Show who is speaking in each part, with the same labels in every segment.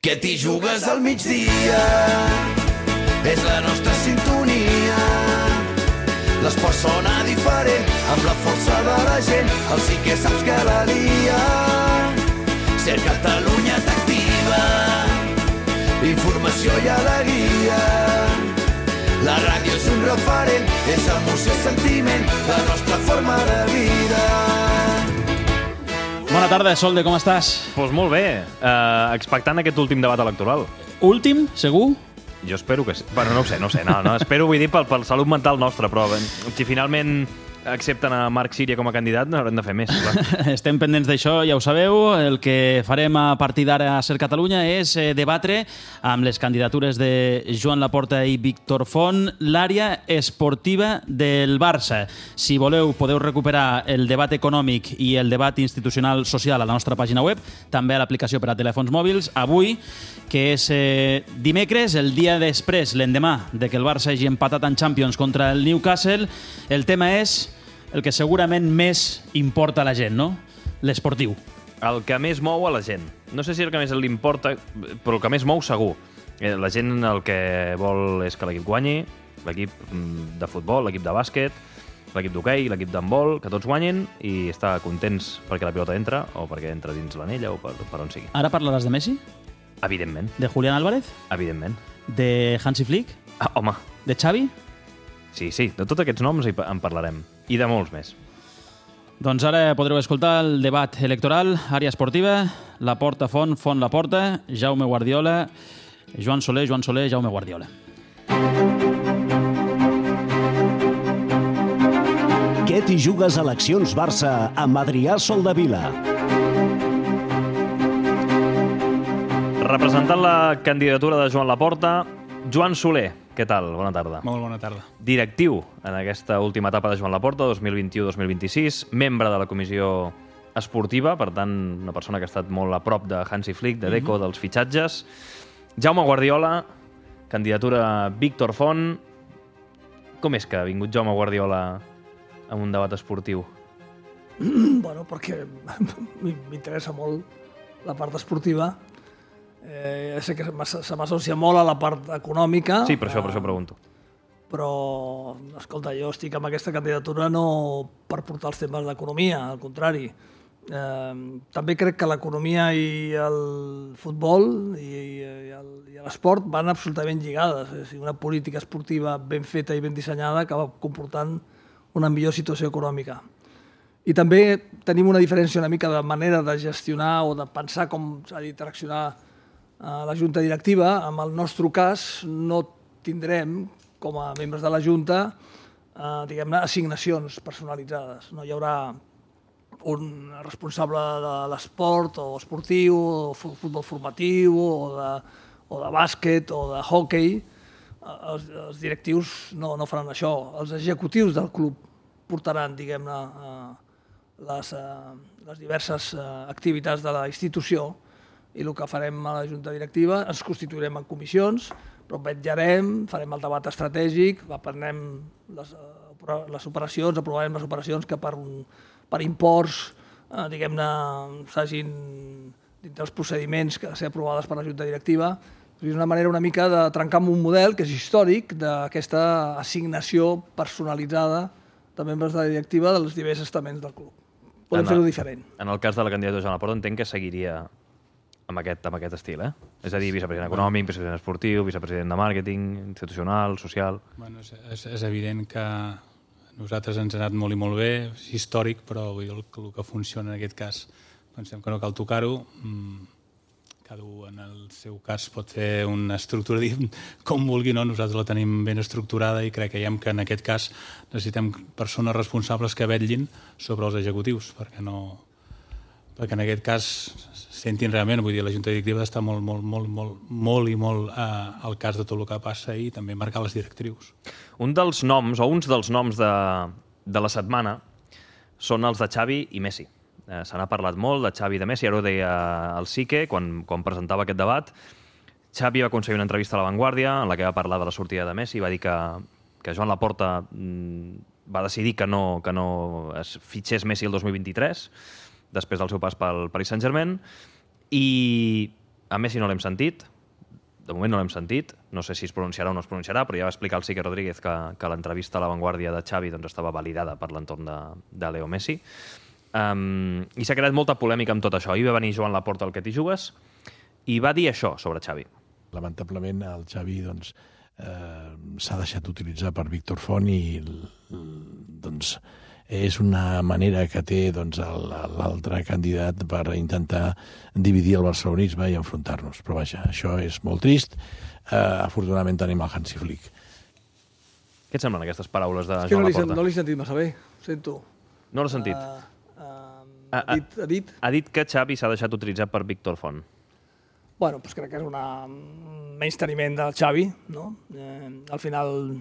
Speaker 1: que t'hi jugues al migdia. És la nostra sintonia. L'esport sona diferent, amb la força de la gent. El sí que saps que la lia. Ser Catalunya t'activa. Informació i alegria. La ràdio és un referent, és emoció i sentiment, la nostra forma de vida.
Speaker 2: Bona tarda, Solde, com estàs?
Speaker 3: Doncs molt bé, expectant aquest últim debat electoral.
Speaker 2: Últim, segur?
Speaker 3: Jo espero que sí. Bueno, no ho sé, no. Espero, vull dir, pel salut mental nostra, però si finalment accepten a Marc Síria com a candidat, no haurem de fer més, clar.
Speaker 2: Estem pendents d'això, ja ho sabeu. El que farem a partir d'ara a Ser Catalunya és debatre amb les candidatures de Joan Laporta i Víctor Font l'àrea esportiva del Barça. Si voleu, podeu recuperar el debat econòmic i el debat institucional social a la nostra pàgina web, també a l'aplicació per a telèfons mòbils. Avui, que és dimecres, el dia després, l'endemà de que el Barça hagi empatat en Champions contra el Newcastle, el tema és el que segurament més importa a la gent, no? L'esportiu.
Speaker 3: El que més mou a la gent. No sé si el que més li importa, però el que més mou segur. La gent el que vol és que l'equip guanyi, l'equip de futbol, l'equip de bàsquet, l'equip d'hoquei, l'equip d'handbol, que tots guanyin i estar contents perquè la pilota entra o perquè entra dins l'anella o per on sigui.
Speaker 2: Ara parlaràs de Messi?
Speaker 3: Evidentment.
Speaker 2: De Julián Álvarez?
Speaker 3: Evidentment.
Speaker 2: De Hansi Flick?
Speaker 3: Home.
Speaker 2: De Xavi?
Speaker 3: Sí, de tots aquests noms en parlarem. I de molts més.
Speaker 2: Doncs ara podreu escoltar el debat electoral, àrea esportiva, Laporta, Font, Font, Laporta, Jaume Guardiola, Joan Soler, Jaume Guardiola.
Speaker 4: Què t'hi jugues a eleccions Barça amb Adrià Soldevila?
Speaker 3: Representant la candidatura de Joan Laporta, Joan Soler. Què tal? Bona tarda.
Speaker 5: Molt bona tarda.
Speaker 3: Directiu en aquesta última etapa de Joan Laporta, 2021-2026, membre de la comissió esportiva, per tant, una persona que ha estat molt a prop de Hansi Flick, de Deco, dels fitxatges. Jaume Guardiola, candidatura Víctor Font. Com és que ha vingut Jaume Guardiola a un debat esportiu?
Speaker 6: Bueno, perquè m'interessa molt la part esportiva. Sé que se m'associa molt a la part econòmica.
Speaker 3: Sí, per això pregunto.
Speaker 6: Però, escolta, jo estic amb aquesta candidatura no per portar els temes d'economia, al contrari. També crec que l'economia i el futbol i l'esport van absolutament lligades. És a dir, una política esportiva ben feta i ben dissenyada acaba comportant una millor situació econòmica. I també tenim una diferència una mica de manera de gestionar o de pensar com s'ha d'interaccionar a la Junta Directiva. En el nostre cas no tindrem, com a membres de la Junta, diguem-ne, assignacions personalitzades. No hi haurà un responsable de l'esport o esportiu, o futbol formatiu, o de bàsquet, o de hoquei. Els directius no faran això. Els executius del club portaran, diguem-ne, les diverses activitats de la institució, i el que farem a la Junta Directiva, ens constituirem en comissions, però vetllarem, farem el debat estratègic, aprenem les operacions, aprovarem les operacions que per imports, diguem-ne, s'hagin, dintre els procediments que han de ser aprovades per la Junta Directiva. És una manera una mica de trencar amb un model que és històric d'aquesta assignació personalitzada de membres de la directiva dels diversos estaments del club. Podem fer-ho diferent.
Speaker 3: En el cas de la candidatura de Joan Laporta entenc que seguiria amb aquest estil, eh? És a dir, vicepresident econòmic, vicepresident esportiu, vicepresident de màrqueting, institucional, social...
Speaker 5: Bueno, és evident que a nosaltres ens ha anat molt i molt bé, és històric, però vull dir, el que funciona en aquest cas pensem que no cal tocar-ho. Cada un en el seu cas pot fer una estructura com vulgui, no? Nosaltres la tenim ben estructurada i creiem que en aquest cas necessitem persones responsables que vetllin sobre els executius, perquè en aquest cas sentin realment, vull dir, la Junta Directiva està molt al cas de tot el que passa i també marcar les directrius.
Speaker 3: Uns dels noms de la setmana són els de Xavi i Messi. Se n'ha parlat molt de Xavi i de Messi, ara ho deia el Sique quan presentava aquest debat. Xavi va aconseguir una entrevista a La Vanguardia en la que va parlar de la sortida de Messi i va dir que Joan Laporta va decidir que no es fitxés Messi el 2023, després del seu pas pel Paris Saint-Germain, i A Messi no l'hem sentit, de moment no l'hem sentit, no sé si es pronunciarà o no es pronunciarà, però ja va explicar el Sique Rodríguez que l'entrevista a La Vanguardia de Xavi estava validada per l'entorn de Leo Messi. I s'ha creat molta polèmica amb tot això. Ahir va venir Joan Laporta al Que t'hi jugues i va dir això sobre Xavi.
Speaker 7: Lamentablement el Xavi s'ha deixat utilitzar per Víctor Font i és una manera que té l'altre candidat per intentar dividir el barcelonisme i enfrontar-nos. Però vaja, això és molt trist. Afortunadament tenim el Hansi Flick.
Speaker 3: Què et semblen aquestes paraules de Joan Laporta?
Speaker 6: No l'he sentit massa bé, sento.
Speaker 3: No l'he sentit? Ha dit que Xavi s'ha deixat utilitzar per Víctor Font.
Speaker 6: Bueno, doncs crec que és un menysteniment del Xavi, no? Al final,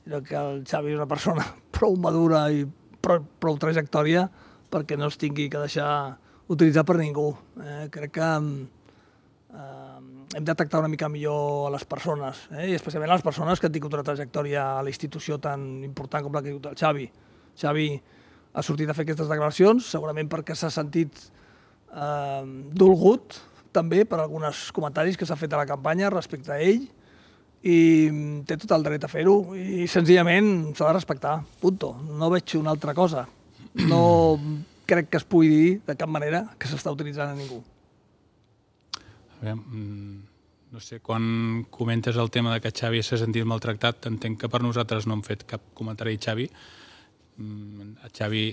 Speaker 6: crec que el Xavi és una persona prou madura i prou trajectòria perquè no es tingui que deixar utilitzar per ningú. Crec que hem de tractar una mica millor a les persones, i especialment a les persones que han tingut una trajectòria a la institució tan important com la que ha tingut el Xavi. Xavi ha sortit a fer aquestes declaracions, segurament perquè s'ha sentit dolgut també per alguns comentaris que s'ha fet a la campanya respecte a ell, i té tot el dret a fer-ho, i senzillament s'ha de respectar, punto. No veig una altra cosa. No crec que es pugui dir de cap manera que s'està utilitzant a ningú.
Speaker 5: No sé, quan comentes el tema de que Xavi s'ha sentit maltractat, entenc que per nosaltres no hem fet cap comentari a Xavi. Xavi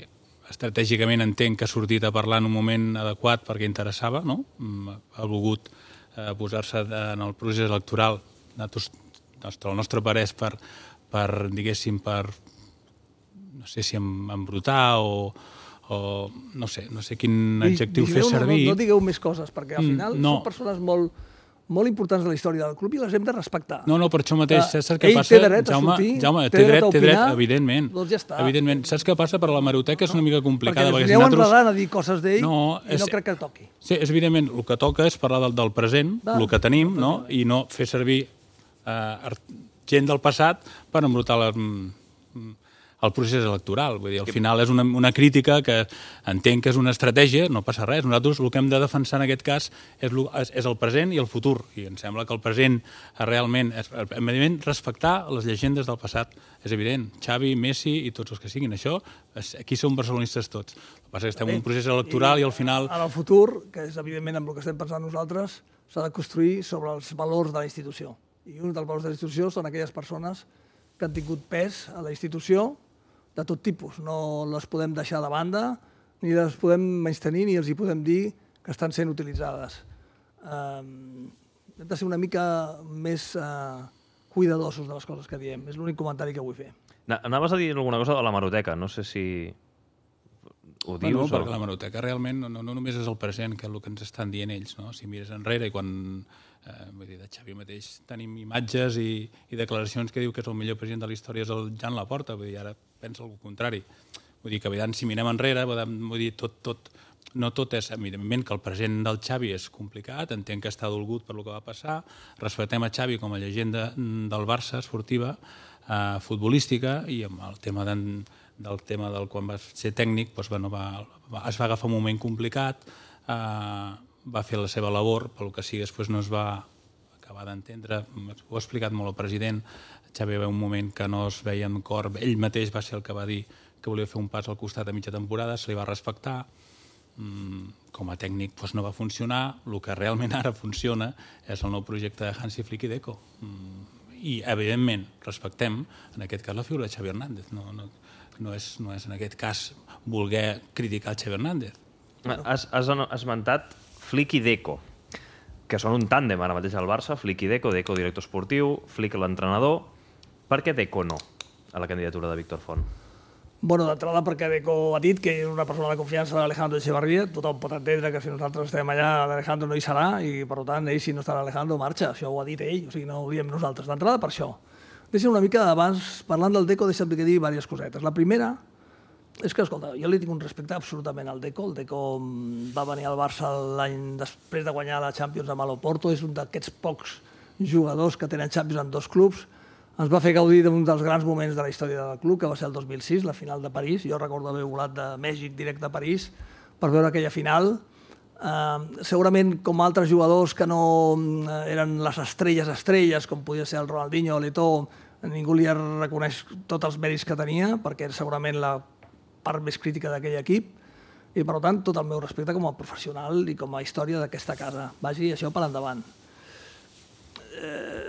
Speaker 5: estratègicament entenc que ha sortit a parlar en un moment adequat perquè interessava, no? Ha volgut posar-se en el procés electoral. El nostre parer és per diguéssim, no sé si embrutar o no sé quin adjectiu fer servir.
Speaker 6: No digueu més coses, perquè al final són persones molt importants de la història del club i les hem de respectar.
Speaker 5: No, per això mateix, saps què passa?
Speaker 6: Ell té dret a sortir,
Speaker 5: Jaume, té dret, evidentment.
Speaker 6: Doncs ja està.
Speaker 5: Evidentment. Saps què passa? Per la hemeroteca és una mica complicada.
Speaker 6: Perquè ens aneu enredant a dir coses d'ell i no crec que toqui.
Speaker 5: Sí, evidentment, el que toca és parlar del present, el que tenim, i no fer servir gent del passat per embrutar el procés electoral. Vull dir, al final és una crítica que entenc que és una estratègia, no passa res. Nosaltres el que hem de defensar en aquest cas és el present i el futur. I em sembla que el present realment és respectar les llegendes del passat. És evident, Xavi, Messi i tots els que siguin. Això, aquí som barcelonistes tots. El que passa és que estem en un procés electoral i al final...
Speaker 6: En el futur, que és evidentment amb el que estem pensant nosaltres, s'ha de construir sobre els valors de la institució. I un dels valors de la institució són aquelles persones que han tingut pes a la institució de tot tipus. No les podem deixar de banda, ni les podem menystenir, ni els hi podem dir que estan sent utilitzades. Hem de ser una mica més cuidadosos de les coses que diem. És l'únic comentari que vull fer.
Speaker 3: Anaves a dir alguna cosa de l'hemeroteca, no sé si ho dius.
Speaker 5: No, perquè l'hemeroteca realment no només és el present, que és el que ens estan dient ells. Si mires enrere i quan... Vull dir, de Xavi mateix tenim imatges i declaracions que diu que és el millor president de la història és el Joan Laporta, vull dir, ara pensa el contrari. Vull dir que si mirem enrere, vull dir, no tot és, evidentment que el present del Xavi és complicat, entenc que està dolgut per el que va passar, respectem a Xavi com a llegenda del Barça esportiva, futbolística, i amb el tema del quan va ser tècnic, es va agafar un moment complicat, va fer la seva labor, pel que sigui, després no es va acabar d'entendre, ho ha explicat molt el president, Xavi va un moment que no es veia en cor, ell mateix va ser el que va dir que volia fer un pas al costat a mitja temporada, se li va respectar, com a tècnic no va funcionar, el que realment ara funciona és el nou projecte de Hansi Flick i Deco. I, evidentment, respectem, en aquest cas, la figura de Xavi Hernández. No és en aquest cas voler criticar Xavi Hernández.
Speaker 3: Has esmentat Flick i Deco, que són un tàndem ara mateix al Barça, Flick i Deco, Deco director esportiu, Flick l'entrenador. Per què Deco no a la candidatura de Víctor Font?
Speaker 6: Bueno, d'entrada perquè Deco ha dit que és una persona de confiança d'Alejandro Echevarría. Tothom pot entendre que si nosaltres estem allà, l'Alejandro no hi serà i, per tant, ell, si no està l'Alejandro, marxa. Això ho ha dit ell, o sigui, no ho diem nosaltres. D'entrada per això. Deixa'm una mica, abans, parlant del Deco, deixa'm que dir diverses cosetes. La primera és que, escolta, jo li tinc un respecte absolutament al Deco. El Deco va venir al Barça l'any després de guanyar la Champions amb l'Oporto. És un d'aquests pocs jugadors que tenen Champions en dos clubs. Ens va fer gaudir d'un dels grans moments de la història del club, que va ser el 2006, la final de París. Jo recordo haver volat de Mèxic directe a París per veure aquella final. Segurament, com altres jugadors que no eren les estrelles, com podia ser el Ronaldinho o l'Eto'o, ningú li reconeix tots els mèrits que tenia, perquè era segurament la part més crítica d'aquell equip, i per tant tot el meu respecte com a professional i com a història d'aquesta casa. Vagi això per endavant.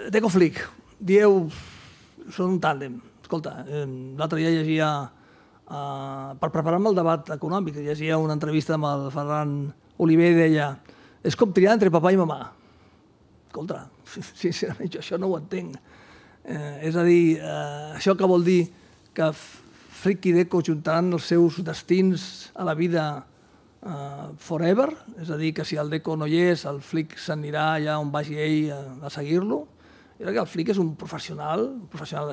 Speaker 6: Deco Flick, dieu, són un tàndem. Escolta, l'altre dia llegia, per preparar-me el debat econòmic, llegia una entrevista amb el Ferran Oliver i deia és com triar entre papà i mamà. Escolta, sincerament, jo això no ho entenc. És a dir, això que vol dir que Flick i Deco juntaran els seus destins a la vida forever? És a dir, que si el Deco no hi és, el Flick s'anirà allà on vagi ell a seguir-lo? Jo crec que el Flick és un professional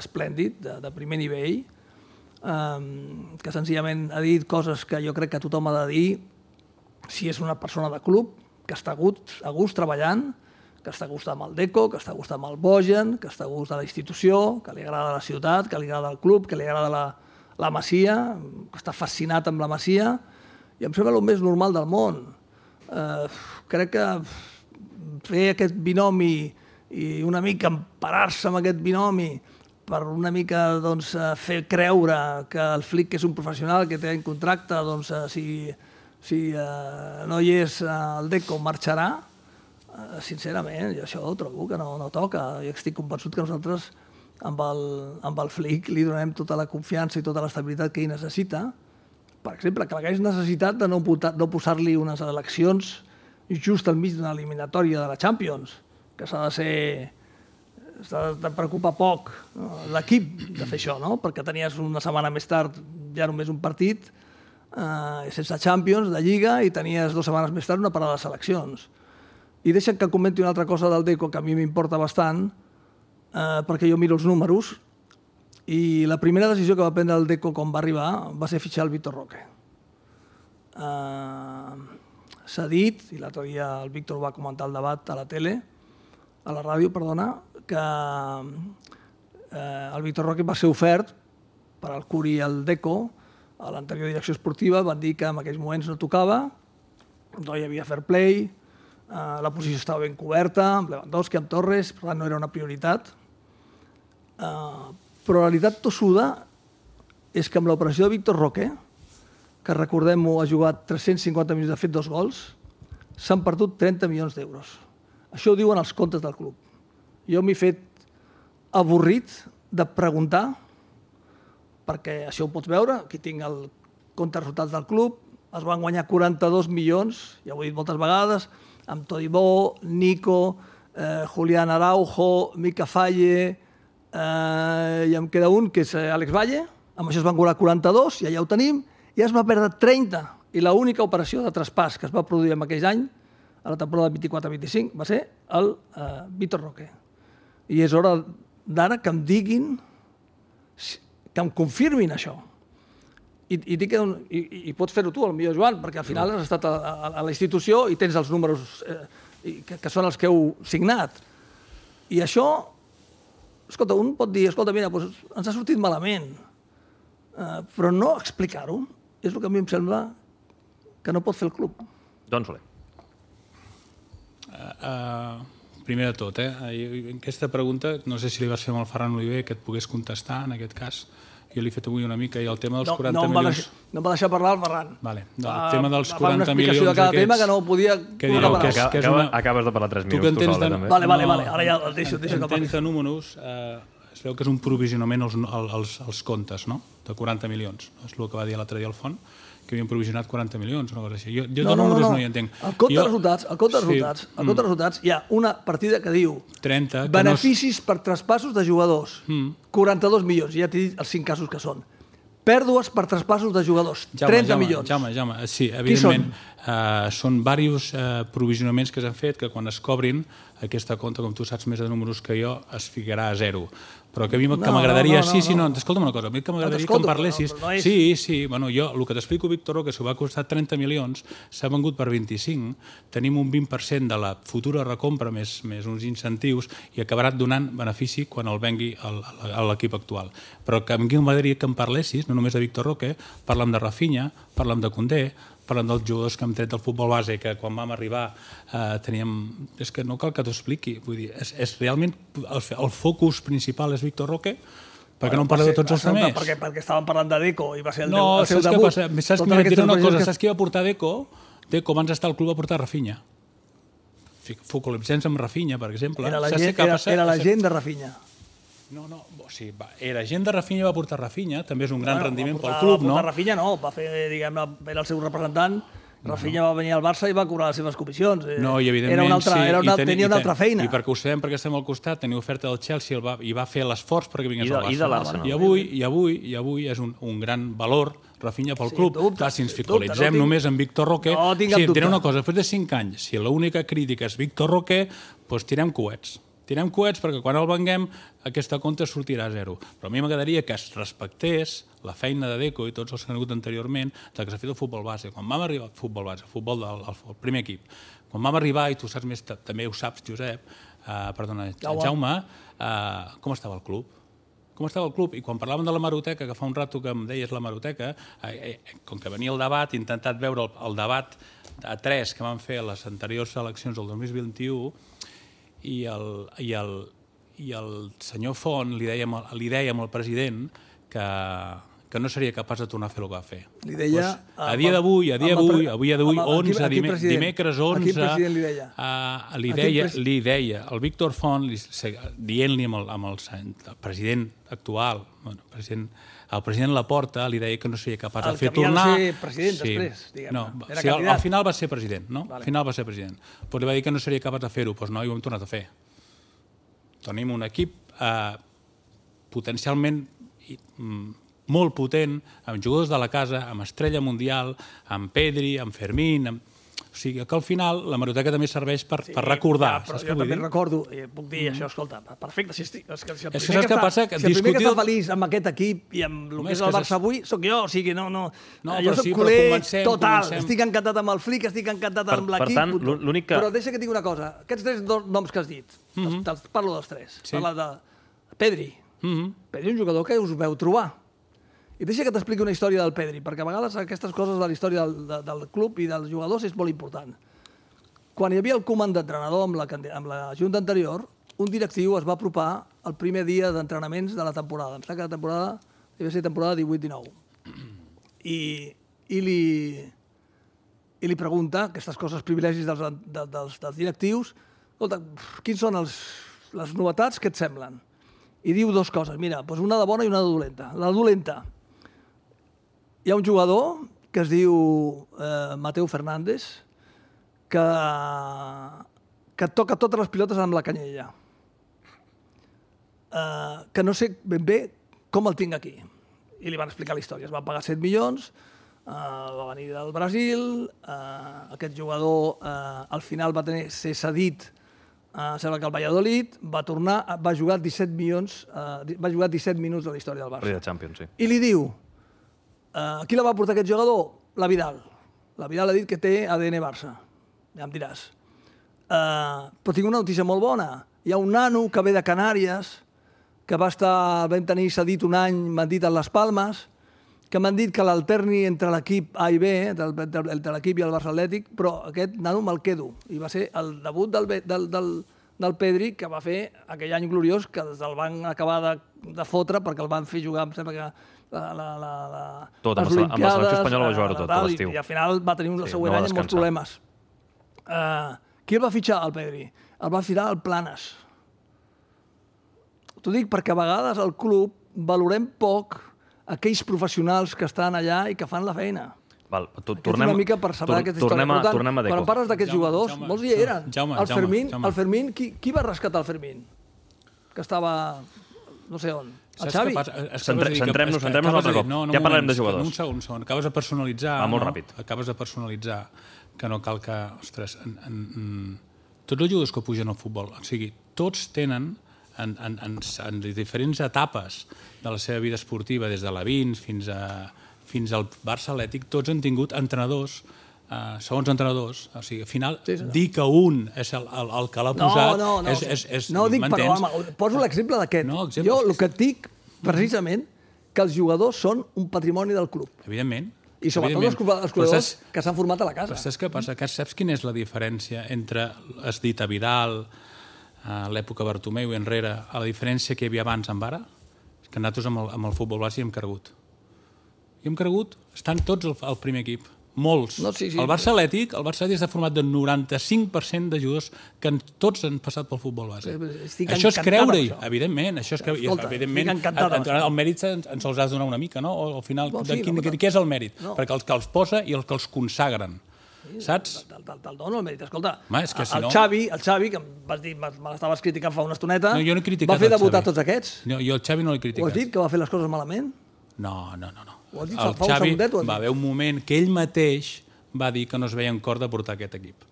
Speaker 6: esplèndid, de primer nivell, que senzillament ha dit coses que jo crec que tothom ha de dir si és una persona de club, que està a gust treballant, que està a gust amb el Deco, que està a gust amb el Bojan, que està a gust de la institució, que li agrada la ciutat, que li agrada el club, que li agrada la Masia, que està fascinat amb la Masia, i em sembla el més normal del món. Crec que fer aquest binomi i una mica emparar-se amb aquest binomi per una mica fer creure que el Flick és un professional que té en contracte, si no hi és el Deco marxarà, sincerament, jo això trobo que no toca. Jo estic convençut que nosaltres amb el Flick li donem tota la confiança i tota l'estabilitat que ell necessita. Per exemple, que l'hagués necessitat de no posar-li unes eleccions just al mig d'una eliminatòria de la Champions, que s'ha de preocupar poc l'equip de fer això, no? Perquè tenies una setmana més tard ja només un partit sense Champions, de Lliga, i tenies 2 setmanes més tard una parada de seleccions. I deixa'm que comenti una altra cosa del Deco que a mi m'importa bastant, perquè jo miro els números, i la primera decisió que va prendre el Deco quan va arribar va ser fitxar el Víctor Roque. S'ha dit, i l'altre dia el Víctor va comentar el debat a la ràdio, que el Víctor Roque va ser ofert per al Curi i el Deco a l'anterior direcció esportiva. Van dir que en aquells moments no tocava, no hi havia fair play, la posició estava ben coberta, amb Lewandowski, amb Torres, per tant no era una prioritat. Però la realitat tossuda és que amb l'operació de Víctor Roque, que recordem-ho, ha jugat 350 minuts, ha fet 2 gols, s'han perdut 30 milions d'euros. Això ho diuen els comptes del club. Jo m'he fet avorrit de preguntar, perquè això ho pots veure, aquí tinc el compte de resultats del club, es van guanyar 42 milions, ja ho he dit moltes vegades, amb Todibó, Nico, Julián Araujo, Mica Falle, i em queda un, que és Àlex Valle, amb això es van cobrar 42, i allà ho tenim, i es va perdre 30, i l'única operació de traspàs que es va produir en aquell any, a la temporada 24-25, va ser el Víctor Roque. I és hora d'ara que em diguin, que em confirmin això. I pots fer-ho tu, potser, Joan, perquè al final has estat a la institució i tens els números que són els que heu signat. I això, escolta, un pot dir, escolta, mira, ens ha sortit malament, però no explicar-ho és el que a mi em sembla que no pot fer el club.
Speaker 3: Doncs Soler.
Speaker 5: Primer de tot, aquesta pregunta, no sé si li vas fer amb el Ferran Oliver que et pogués contestar, en aquest cas. Jo l'he fet avui una mica, i el tema dels 40 milions...
Speaker 6: No em va deixar parlar el Ferran.
Speaker 5: El tema dels 40 milions...
Speaker 6: Va fer una explicació de cada tema que no podia...
Speaker 3: Acabes de parlar 3 minuts, tu sola, també.
Speaker 6: Vale, ara ja el deixo que parli.
Speaker 5: Entens de números, es veu que és un provisionament als comptes, no?, de 40 milions. És el que va dir l'altre dia al Font, que havien provisionat 40 milions, una cosa així. Jo de números no hi entenc.
Speaker 6: Al compte de resultats hi ha una partida que diu beneficis per traspassos de jugadors, 42 milions, ja t'he dit els 5 casos que són. Pèrdues per traspassos de jugadors, 30 milions.
Speaker 5: Jaume, sí, evidentment, són diversos provisionaments que s'han fet que quan es cobrin aquesta compta, com tu saps més de números que jo, es ficarà a 0. Però que a mi m'agradaria... Escolta'm una cosa, a mi que m'agradaria que em parlessis... Sí, jo, el que t'explico, Víctor Roque, que va costar 30 milions, s'ha vengut per 25, tenim un 20% de la futura recompra més uns incentius i acabarà donant benefici quan el vengui a l'equip actual. Però que a mi m'agradaria que em parlessis, no només de Víctor Roque, parlem de Rafinha, parlem de Koundé, parlant dels jugadors que hem tret del futbol base, que quan vam arribar teníem... És que no cal que t'ho expliqui. Vull dir, és realment... El focus principal és Víctor Roque, perquè no en parleu de tots els altres.
Speaker 6: Perquè estàvem parlant de Deco i va ser el seu
Speaker 5: saps
Speaker 6: debut.
Speaker 5: Què passa? Saps que m'he dit una cosa? Saps qui va portar Deco? Deco, abans d'estar al club, va portar Rafinha. Focalitzem-nos amb Rafinha, per exemple.
Speaker 6: Era la gent de Rafinha.
Speaker 5: No, o sigui, era gent de Rafinha, va portar Rafinha, també és un gran rendiment pel club, no?
Speaker 6: Va portar Rafinha, no, va fer, diguem-ne, era el seu representant, Rafinha va venir al Barça i va cobrar les seves comissions.
Speaker 5: No, i evidentment
Speaker 6: tenia una altra feina.
Speaker 5: I perquè ho sabem, perquè estem al costat, tenia oferta del Chelsea i va fer l'esforç perquè vingués al Barça.
Speaker 3: I de l'Arsenal.
Speaker 5: I avui és un gran valor Rafinha pel club. Clar, si ens focalitzem només en Víctor Roque, diré una cosa, després de 5 anys, si l'única crítica és Víctor Roque, doncs tirem coets. Tirem coets perquè quan el venguem aquesta compte sortirà a zero. Però a mi m'agradaria que es respectés la feina de Deco i tots els que han hagut anteriorment del que s'ha fet el futbol base. Quan vam arribar al futbol base, el futbol del primer equip, quan vam arribar, i tu saps més, també ho saps, Josep, Jaume, com estava el club? Com estava el club? I quan parlàvem de la Maroteca, que fa un rato que em deies la Maroteca, com que venia el debat, he intentat veure el debat a 3 que van fer a les anteriors eleccions del 2021, i el senyor Font li deia al president que no seria capaç de tornar a fer el que va fer.
Speaker 6: Li deia...
Speaker 5: A dia d'avui, 11, dimecres 11...
Speaker 6: A quin president li deia?
Speaker 5: Li deia, el Víctor Font, dient-li amb el president actual, el president Laporta, li deia que no seria capaç de fer tornar...
Speaker 6: El que havia de ser president després, diguem-ne.
Speaker 5: Al final va ser president, no? Al final va ser president. Però li va dir que no seria capaç de fer-ho, doncs no, i ho hem tornat a fer. Tenim un equip potencialment molt potent, amb jugadors de la casa, amb Estrella Mundial, amb Pedri, amb Fermín... O sigui, que al final la Maroteca també serveix per recordar.
Speaker 6: Però jo també recordo, puc dir això, escolta, perfecte, si el
Speaker 5: primer
Speaker 6: que està feliç amb aquest equip i amb el que és el Barça avui, sóc jo, o sigui, no jo soc culer total, estic encantat amb el Flick, estic encantat amb l'equip, però deixa que et digui una cosa, aquests 3 noms que has dit, parlo dels 3, parla de Pedri, Pedri és un jugador que us veu trobar. I deixa que t'expliqui una història del Pedri, perquè a vegades aquestes coses de la història del club i dels jugadors és molt important. Quan hi havia el comand d'entrenador amb la junta anterior, un directiu es va apropar el primer dia d'entrenaments de la temporada. Em sembla que la temporada devia ser temporada 18-19. I li pregunta aquestes coses, privilegis dels directius, escolta, quins són les novetats que et semblen? I diu 2 coses, mira, una de bona i una de dolenta. La dolenta, hi ha un jugador que es diu Mateu Fernández que toca totes les pilotes amb la canyella. Que no sé ben bé com el tinc aquí. I li van explicar la història. Es van pagar 7 milions, va venir del Brasil, aquest jugador al final va ser cedit, sembla que el Valladolid, va tornar, va jugar 17 minuts a la història del Barça.
Speaker 3: Rei de Champions, sí.
Speaker 6: I li diu, qui la va portar aquest jugador? La Vidal. La Vidal ha dit que té ADN Barça. Ja em diràs. Però tinc una notícia molt bona. Hi ha un nano que ve de Canàries, que vam tenir cedit un any, m'han dit, a les Palmes, que m'han dit que l'alterni entre l'equip A i B, entre l'equip i el Barça Atlètic, però aquest nano me'l quedo. I va ser el debut del Pedri, que va fer aquell any gloriós, que el van acabar de fotre, perquè el van fer jugar, em sembla que
Speaker 3: tot, amb la selecció espanyola va jugar-ho tot l'estiu.
Speaker 6: I al final va tenir un següent any amb molts problemes. Qui el va fitxar, el Pedri? El va fitxar el Planes. T'ho dic perquè a vegades al club valorem poc aquells professionals que estan allà i que fan la feina.
Speaker 3: Tornem
Speaker 6: una mica per saber aquesta història.
Speaker 3: Tornem a Deco.
Speaker 6: Quan parles d'aquests jugadors, molts hi eren. El Fermín, qui va rescatar el Fermín? Que estava no sé on. El Xavi?
Speaker 3: Centrem-nos un altre cop. Ja parlarem de jugadors.
Speaker 5: Un segon. Acabes de personalitzar...
Speaker 3: Va molt ràpid.
Speaker 5: Acabes de personalitzar que no cal que... Ostres, tots els jugadors que pugen al futbol, o sigui, tots tenen en diferents etapes de la seva vida esportiva, des de la 20 fins al Barça Atlètic, tots han tingut entrenadors, segons entrenadors. O sigui, al final, dir que un és el que l'ha posat...
Speaker 6: No dic, però poso l'exemple d'aquest. Jo el que et dic, precisament, que els jugadors són un patrimoni del club.
Speaker 5: Evidentment.
Speaker 6: I sobretot els corredors que s'han format a la casa.
Speaker 5: Però saps què passa? Saps quina és la diferència entre, has dit, a Vidal, a l'època Bartomeu i enrere, a la diferència que hi havia abans amb ara? És que nosaltres amb el futbol base hi hem cregut. Estan tots al primer equip. Molts.
Speaker 6: No, sí.
Speaker 5: El Barça Atlètic està format del 95% de jugadors que tots han passat pel futbol base. Això és creure-hi, evidentment. Evidentment, el mèrit ens els has de donar una mica, no? O al final, què és el mèrit? Perquè els que els posa i els que els consagren. Saps?
Speaker 6: Te'l dono el mèrit. Escolta,
Speaker 5: el
Speaker 6: Xavi, que em vas dir, me l'estaves criticant fa una estoneta,
Speaker 5: va
Speaker 6: fer debutar tots aquests.
Speaker 5: Jo el Xavi no l'he criticat.
Speaker 6: Ho has dit, que va fer les coses malament?
Speaker 5: No.
Speaker 6: El Xavi
Speaker 5: va haver un moment que ell mateix va dir que no es veia en cor de portar aquest equip.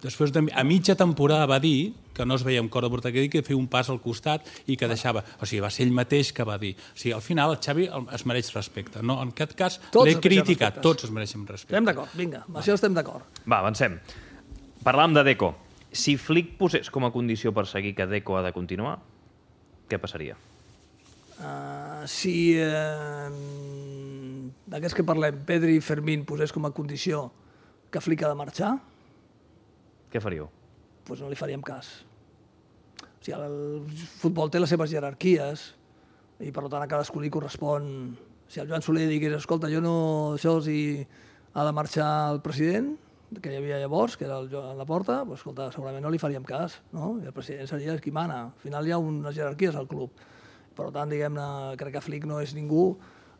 Speaker 5: Després, a mitja temporada va dir que no es veia en cor de portar aquest equip, que feia un pas al costat i que deixava... O sigui, va ser ell mateix que va dir. O sigui, al final el Xavi es mereix respecte. No, en aquest cas l'he criticat. Tots es mereixen respecte.
Speaker 6: Estem d'acord, vinga, amb això estem d'acord.
Speaker 3: Va, avancem. Parlàvem de Deco. Si Flick posés com a condició per seguir que Deco ha de continuar, què passaria?
Speaker 6: Si d'aquests que parlem, Pedri i Fermín posés com a condició que Flick ha de marxar,
Speaker 3: què faríeu?
Speaker 6: Doncs no li faríem cas. O sigui, el futbol té les seves jerarquies i per tant a cadascú li correspon. Si el Joan Soler digués, escolta, jo no... Això si ha de marxar el president, que hi havia llavors, que era el Joan Laporta, doncs escolta, segurament no li faríem cas, no? I el president seria qui mana. Al final hi ha unes jerarquies al club. Per tant, diguem-ne, crec que Flick no és ningú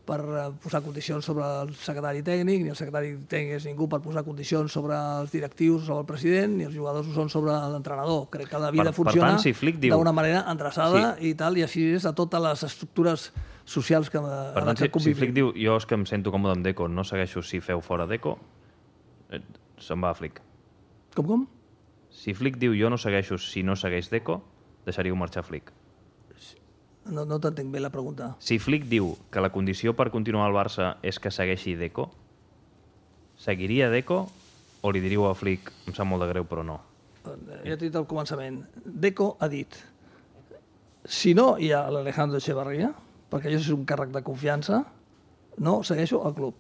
Speaker 6: per posar condicions sobre el secretari tècnic, ni el secretari tècnic és ningú per posar condicions sobre els directius, sobre el president, ni els jugadors ho són sobre l'entrenador. Crec que la vida funciona d'una manera endreçada i tal, i així és a totes les estructures socials que
Speaker 3: per tant, si Flick diu, jo és que em sento còmode amb Deco, no segueixo si feu fora Deco, se'n va a Flick.
Speaker 6: Com?
Speaker 3: Si Flick diu, jo no segueixo si no segueix Deco, deixaríeu marxar Flick.
Speaker 6: No t'entenc bé la pregunta.
Speaker 3: Si Flick diu que la condició per continuar al Barça és que segueixi Deco, seguiria Deco o li diríeu a Flick, em sap molt de greu, però no?
Speaker 6: Ja t'he dit al començament. Deco ha dit, si no hi ha l'Alejandro Echevarría, perquè jo és un càrrec de confiança, no segueixo al club.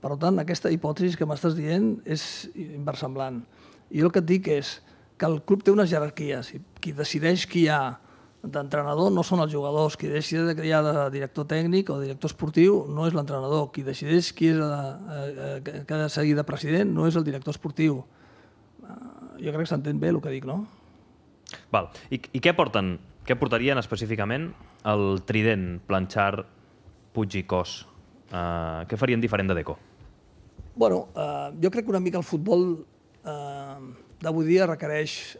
Speaker 6: Per tant, aquesta hipòtesi que m'estàs dient és inversemblant. I jo el que et dic és que el club té unes jerarquies i qui decideix qui hi ha d'entrenador no són els jugadors. Qui decideix que hi ha de director tècnic o director esportiu no és l'entrenador. Qui decideix qui ha de seguir de president no és el director esportiu. Jo crec que s'entén bé el que dic, no?
Speaker 3: Val. I què porten? Què portarien específicament el trident, Planchard, Puig i Cos? Què farien diferent de Deco?
Speaker 6: Bueno, jo crec que una mica el futbol d'avui dia requereix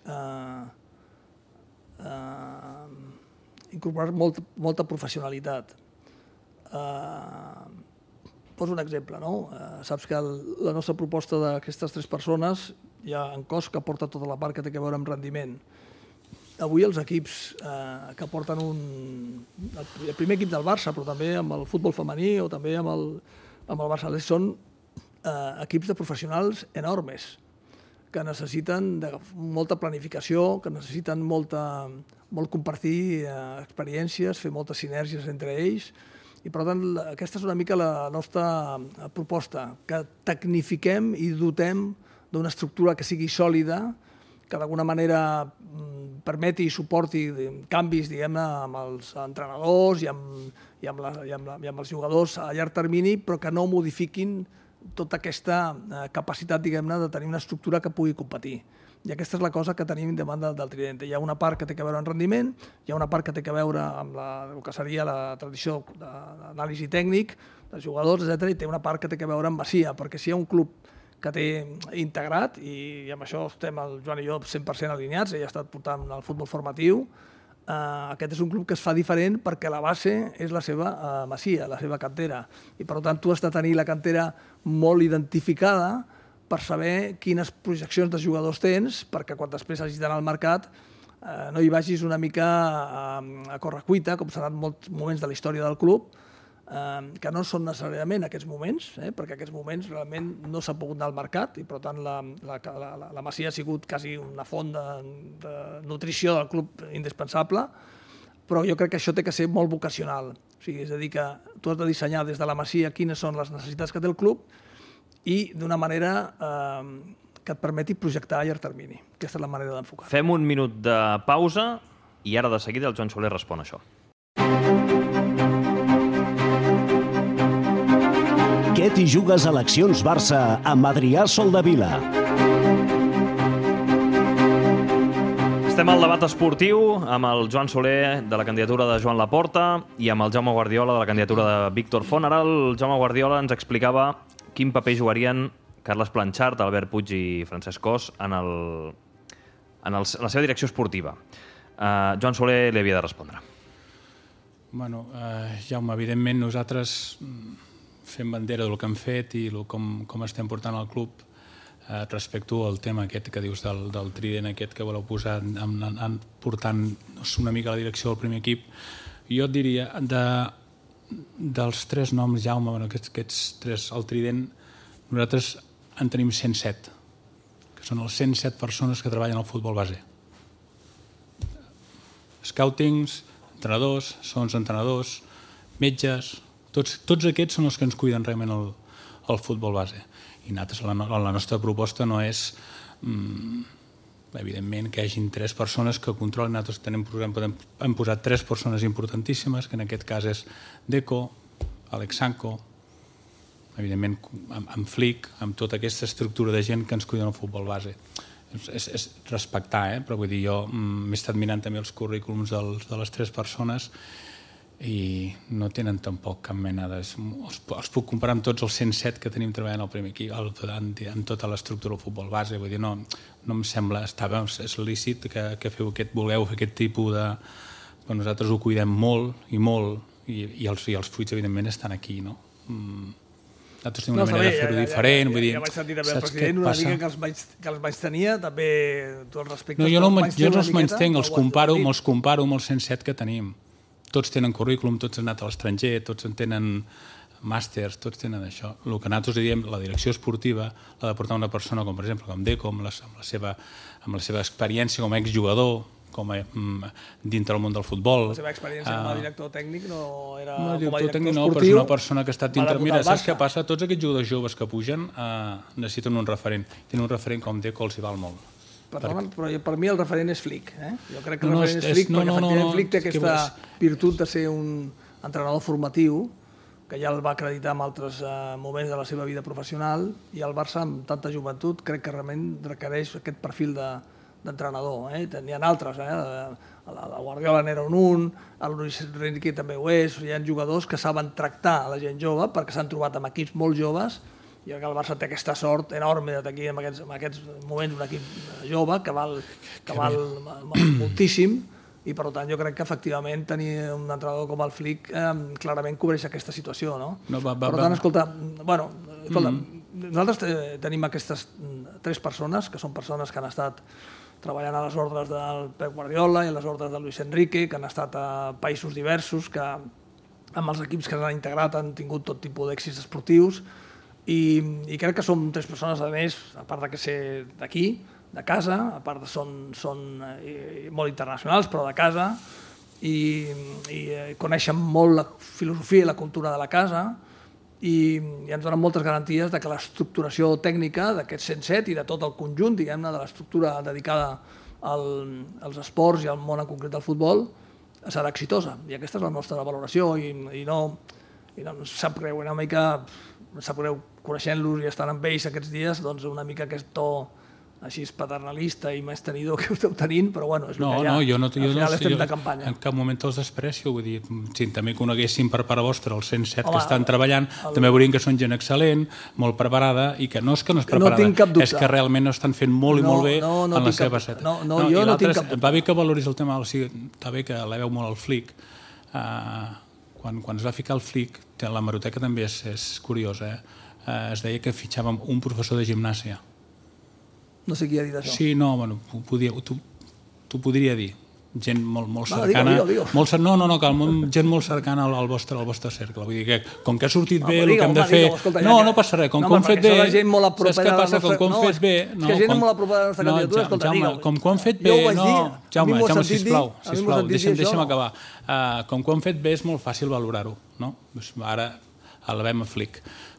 Speaker 6: incorporar molta professionalitat. Poso un exemple, no? Saps que la nostra proposta d'aquestes 3 persones hi ha en Cos que porta tota la part que té a veure amb rendiment. Avui els equips que porten el primer equip del Barça, però també amb el futbol femení o també amb el Barça, són equips de professionals enormes que necessiten molta planificació, que necessiten molt compartir experiències, fer moltes sinergies entre ells. I, per tant, aquesta és una mica la nostra proposta, que tecnifiquem i dotem d'una estructura que sigui sòlida, que d'alguna manera permeti i suporti canvis, diguem-ne, amb els entrenadors i amb els jugadors a llarg termini, però que no modifiquin tota aquesta capacitat, diguem-ne, de tenir una estructura que pugui competir. I aquesta és la cosa que tenim davant del trident. Hi ha una part que té a veure amb rendiment, hi ha una part que té a veure amb el que seria la tradició d'anàlisi tècnic dels jugadors, etc. I té una part que té a veure amb Masia, perquè si hi ha un club que té integrat, i amb això estem el Joan i jo 100% alineats, ell ha estat portant el futbol formatiu, aquest és un club que es fa diferent perquè la base és la seva Masia, la seva cantera. I per tant tu has de tenir la cantera molt identificada per saber quines projeccions de jugadors tens, perquè quan després hagis d'anar al mercat no hi vagis una mica a correcuita, com s'ha anat molts moments de la història del club, que no són necessàriament aquests moments, perquè aquests moments realment no s'ha pogut anar al mercat i per tant la Masia ha sigut quasi una font de nutrició del club indispensable, però jo crec que això té que ser molt vocacional. O sigui, és a dir, que tu has de dissenyar des de la Masia quines són les necessitats que té el club i d'una manera que et permeti projectar a llarg termini. Aquesta és la manera d'enfocar.
Speaker 3: Fem un minut de pausa i ara de seguida el Joan Soler respon a això.
Speaker 4: Què t'hi jugues a Eleccions Barça amb Adrià Soldevila?
Speaker 3: Estem al debat esportiu amb el Joan Soler de la candidatura de Joan Laporta i amb el Jaume Guardiola de la candidatura de Víctor Font. Ara el Jaume Guardiola ens explicava quin paper jugarien Carles Planchart, Albert Puig i Francesc Cos en la seva direcció esportiva. Joan Soler li havia de respondre.
Speaker 5: Bueno, Jaume, evidentment nosaltres fem bandera del que hem fet i com estem portant el club respecte al tema aquest que dius del trident aquest que voleu posar portant una mica a la direcció del primer equip. Jo et diria, dels 3 noms, Jaume, aquests 3, el trident, nosaltres en tenim 107, que són les 107 persones que treballen al futbol base. Scoutings, entrenadors, segons entrenadors, metges, tots aquests són els que ens cuiden realment el futbol base. I nosaltres, la nostra proposta no és, evidentment, que hi hagin 3 persones que controlin. Nosaltres hem posat 3 persones importantíssimes, que en aquest cas és Deco, Alex Sanko, evidentment amb Flick, amb tota aquesta estructura de gent que ens cuida el futbol base. És respectar, però vull dir, jo m'he estat mirant també els currículums de les 3 persones i no tenen tampoc cap mena de... Els puc comparar amb tots els 107 que tenim treballant al primer equip, en tota l'estructura del futbol base. Vull dir, no em sembla... És lícit que vulgueu fer aquest tipus de... Nosaltres ho cuidem molt i els fruits, evidentment, estan aquí, no? Nosaltres tenim una manera de fer-ho diferent.
Speaker 6: Ja vaig sentir també el president una mica que els vaig tenir, també tu els respectes.
Speaker 5: No, jo no els menystenc, els comparo amb els 107 que tenim. Tots tenen currículum, tots han anat a l'estranger, tots en tenen màsters, tots tenen això. El que nosaltres diem, la direcció esportiva l'ha de portar una persona com, per exemple, com Deco, amb la seva experiència com a exjugador, dintre del món del futbol.
Speaker 6: La seva experiència com a director tècnic no era com a
Speaker 5: director
Speaker 6: director
Speaker 5: tècnic,
Speaker 6: esportiu.
Speaker 5: però és una persona que ha estat dintre... Mira, saps què passa? Tots aquests jugadors joves que pugen necessiten un referent. Tenen un referent com Deco, els hi val molt.
Speaker 6: Però per mi el referent és Flick. Jo crec que el referent és Flick perquè efectivament Flick té aquesta virtut de ser un entrenador formatiu que ja el va acreditar en altres moments de la seva vida professional i el Barça, amb tanta joventut, crec que realment requereix aquest perfil d'entrenador. N'hi ha altres, la Guardiola n'era un, el Luis Enrique també ho és, hi ha jugadors que saben tractar a la gent jove perquè s'han trobat amb equips molt joves. Jo crec que el Barça té aquesta sort enorme de tenir en aquests moments un equip jove que val moltíssim i per tant jo crec que efectivament tenir un entrenador com el Flick clarament cobreix aquesta situació. Per tant, escolta, nosaltres tenim aquestes 3 persones que són persones que han estat treballant a les ordres del Pep Guardiola i a les ordres de Luis Enrique, que han estat a països diversos, que amb els equips que s'han integrat han tingut tot tipus d'èxits esportius i crec que som 3 persones, a més, a part de que ser d'aquí, de casa, a part de són molt internacionals, però de casa, i coneixen molt la filosofia i la cultura de la casa i ens donen moltes garanties de que l'estructuració tècnica d'aquests 107 i de tot el conjunt, diguem-ne, de l'estructura dedicada als esports i al món en concret del futbol serà exitosa. I aquesta és la nostra valoració i no ens sap greu, una mica sap greu coneixent-los i estant amb ells aquests dies, doncs una mica aquest to així paternalista i més tenidor que esteu tenint, però bueno, és el que hi ha. Al final estem de campanya.
Speaker 5: En cap moment els desprecio, vull dir, si també coneguéssim per part vostra els 107 que estan treballant, també veurien que són gent excel·lent, molt preparada, i que no és que no és preparada, és que realment estan fent molt i molt bé en la seva faceta.
Speaker 6: Jo no tinc cap dubte.
Speaker 5: Va bé que valoris el tema, està bé que l'heu molt al Flick. Quan es va ficar el Flick, la hemeroteca també és curiosa, es deia que fitxàvem un professor de gimnàsia.
Speaker 6: No sé qui ha dit això.
Speaker 5: Sí, no, bueno, t'ho podria dir. gent molt cercana. Gent molt cercana al vostre cercle. Vull dir que, com que ha sortit bé el que hem de fer... No passa res. Com que ho han fet bé... Saps què passa? Com que ho han fet bé...
Speaker 6: És que gent molt a propera de la nostra candidatura, escolta, digue'm.
Speaker 5: Com que ho han fet bé... Jaume, sisplau, deixa'm acabar. Com que ho han fet bé és molt fàcil valorar-ho. Ara elevem a Flick.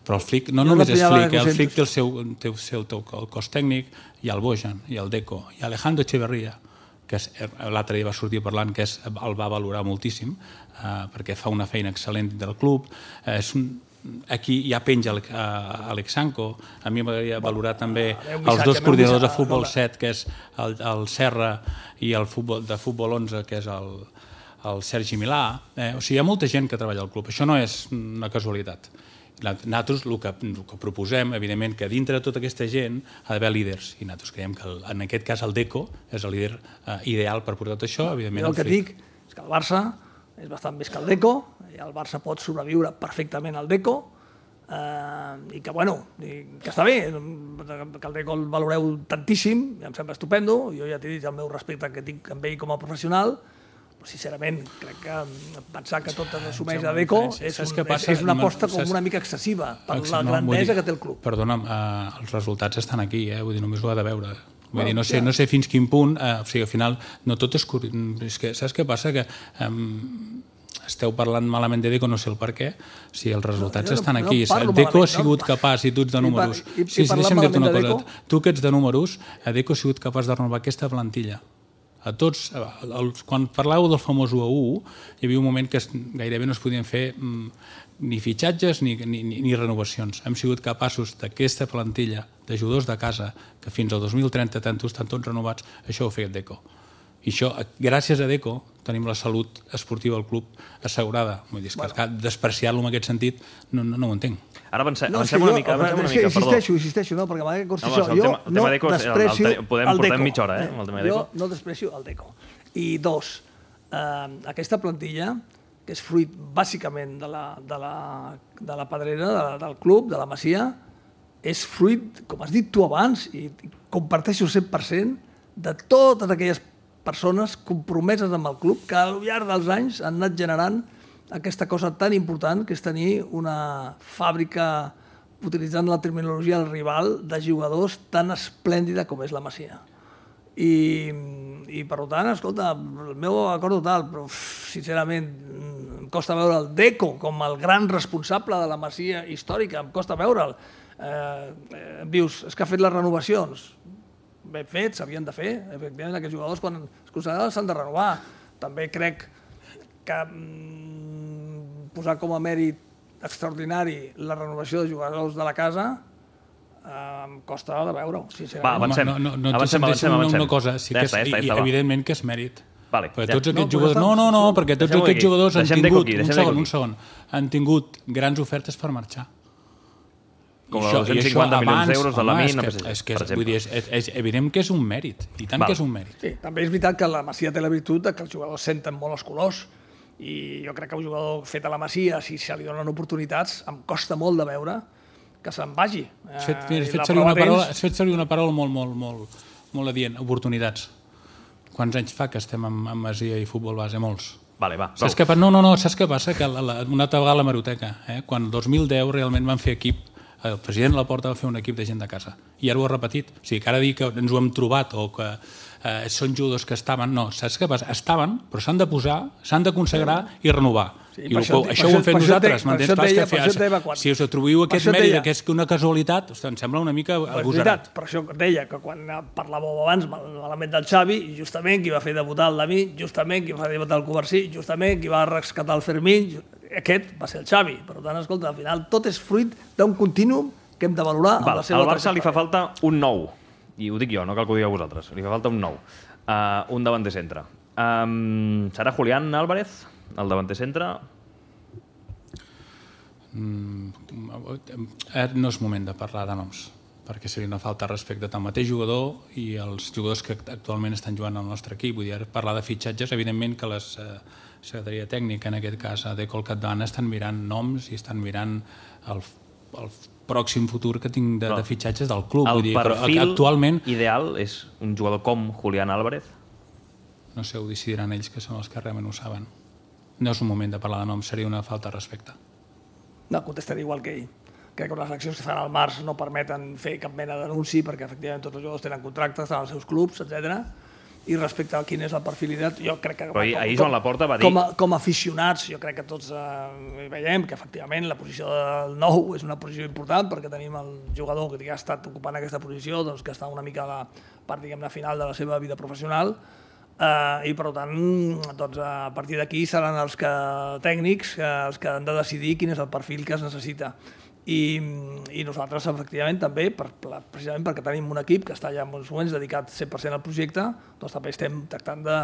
Speaker 5: Però el Flick no només és Flick, el Flick té el seu cos tècnic, hi ha el Bojan, hi ha el Deco, hi ha Alejandro Echeverría, que l'altre dia va sortir parlant que el va valorar moltíssim, perquè fa una feina excel·lent del club. Aquí ja penja Alexanco. A mi m'agradaria valorar també els dos coordinadors de futbol 7, que és el Serra, i el de futbol 11, que és el Sergi Milà. O sigui, hi ha molta gent que treballa al club. Això no és una casualitat. Nosaltres el que proposem, evidentment, que dintre de tota aquesta gent ha d'haver líders, i nosaltres creiem que en aquest cas el Deco és el líder ideal per portar tot això, evidentment.
Speaker 6: El que dic és que el Barça és bastant més que el Deco, i el Barça pot sobreviure perfectament al Deco, i que, bueno, que està bé, que el Deco el valoreu tantíssim, em sembla estupendo, jo ja t'he dit el meu respecte que tinc amb ell com a professional, però sincerament crec que pensar que tot es assumeix a Deco és una aposta com una mica excessiva per la grandesa que té el club.
Speaker 5: Perdona'm, els resultats estan aquí, vull dir, només ho ha de veure. Vull dir, no sé fins quin punt, o sigui, al final no tot és que saps què passa? Que esteu parlant malament de Deco, no sé el per què, si els resultats estan aquí. Deco ha sigut capaç, i tu ets de números, deixa'm dir-te una cosa, tu que ets de números, Deco ha sigut capaç de renovar aquesta plantilla. A tots, quan parlàveu del famós 1-1, hi havia un moment que gairebé no es podien fer ni fitxatges ni renovacions. Hem sigut capaços d'aquesta plantilla de jugadors de casa, que fins al 2030 estan tots renovats, això ho ha fet Deco. I això, gràcies a Deco, tenim la salut esportiva del club assegurada. Vull dir, que despreciar-lo en aquest sentit no ho entenc.
Speaker 3: Ara avancem una mica,
Speaker 6: Insisteixo, no, perquè m'ha dit jo no desprecio el Deco.
Speaker 3: Portem mitja hora, amb el tema de Deco.
Speaker 6: Jo no desprecio el Deco. I dos, aquesta plantilla, que és fruit bàsicament de la pedrera, del club, de la Masia, és fruit, com has dit tu abans, i comparteixo 100%, de totes aquelles persones compromeses amb el club que al llarg dels anys han anat generant aquesta cosa tan important que és tenir una fàbrica, utilitzant la terminologia del rival, de jugadors tan esplèndida com és la Masia. I per tant, escolta, el meu acord total, però sincerament em costa veure el Deco com el gran responsable de la Masia històrica, em costa veure'l. Em dius, és que ha fet les renovacions. Ben fet, s'havien de fer. Efectivament, aquests jugadors, quan es consideren, s'han de renovar. També crec que posar com a mèrit extraordinari la renovació de jugadors de la casa em costa de veure-ho, sincerament.
Speaker 5: Va, avancem. Una cosa, sí que evidentment que és mèrit. Perquè tots aquests jugadors... No, perquè tots aquests jugadors han tingut grans ofertes per marxar.
Speaker 3: Com els 250 milions d'euros de l'Amin, per exemple.
Speaker 5: És evident que és un mèrit, i tant que és un mèrit.
Speaker 6: Sí, també és veritat que la Masia té la virtut que els jugadors senten molt els colors, i jo crec que un jugador fet a la Masia, si se li donen oportunitats, em costa molt de veure que se'n vagi.
Speaker 5: Has fet servir una paraula molt adient, oportunitats. Quants anys fa que estem amb Masia i futbol base? Molts. Saps què passa? Que una altra vegada a l'hemeroteca, quan el 2010 realment van fer equip, el president Laporta va fer un equip de gent de casa i ara ho ha repetit, o sigui que ara dir que ens ho hem trobat o que són jugadors que estaven, no, saps què passa? Estaven, però s'han de posar, s'han de consagrar i renovar. I això ho hem fet nosaltres, m'entens? Si us atribuïu aquest mèrit que és una casualitat, em sembla una mica agosarat.
Speaker 6: Per això deia que quan parlàveu abans malament del Xavi, justament qui va fer debutar el Dami, justament qui va fer debutar el Covarsí, justament qui va rescatar el Fermín, aquest va ser el Xavi. Per tant, escolta, al final tot és fruit d'un contínuum que hem de valorar amb la seva...
Speaker 3: Al Barça li fa falta un nou, i ho dic jo, no cal que ho digueu vosaltres, li fa falta un nou, un davanter centre. Serà Julián Álvarez, el davanter centre?
Speaker 5: No és moment de parlar de noms, perquè seria una falta de respecte al mateix jugador i els jugadors que actualment estan jugant al nostre equip. Vull dir, parlar de fitxatges, evidentment que la secretaria tècnica, en aquest cas de Colcatdana, estan mirant noms i estan mirant el pròxim futur que tinc de fitxatges del club.
Speaker 3: El perfil ideal és un jugador com Julián Álvarez?
Speaker 5: no sé, ho decidiran ells, que són els que realment ho saben. No és un moment de parlar de noms, seria una falta de respecte.
Speaker 6: No, contestaré igual que ell. Crec que les accions que fan al març no permeten fer cap mena d'anunci perquè efectivament tots els jugadors tenen contractes, estan als seus clubs, etc. I respecte a quin és el perfil ideal, jo crec que...
Speaker 3: Però ahir Joan Laporta va dir...
Speaker 6: Com a aficionats, jo crec que tots veiem que efectivament la posició del 9 és una posició important perquè tenim el jugador que ha estat ocupant aquesta posició, doncs, que està una mica a la part, diguem-ne, final de la seva vida professional, i per tant, doncs, a partir d'aquí seran els tècnics els que han de decidir quin és el perfil que es necessita. I nosaltres, efectivament, també, precisament perquè tenim un equip que està ja en uns moments dedicat 100% al projecte, doncs també estem tractant de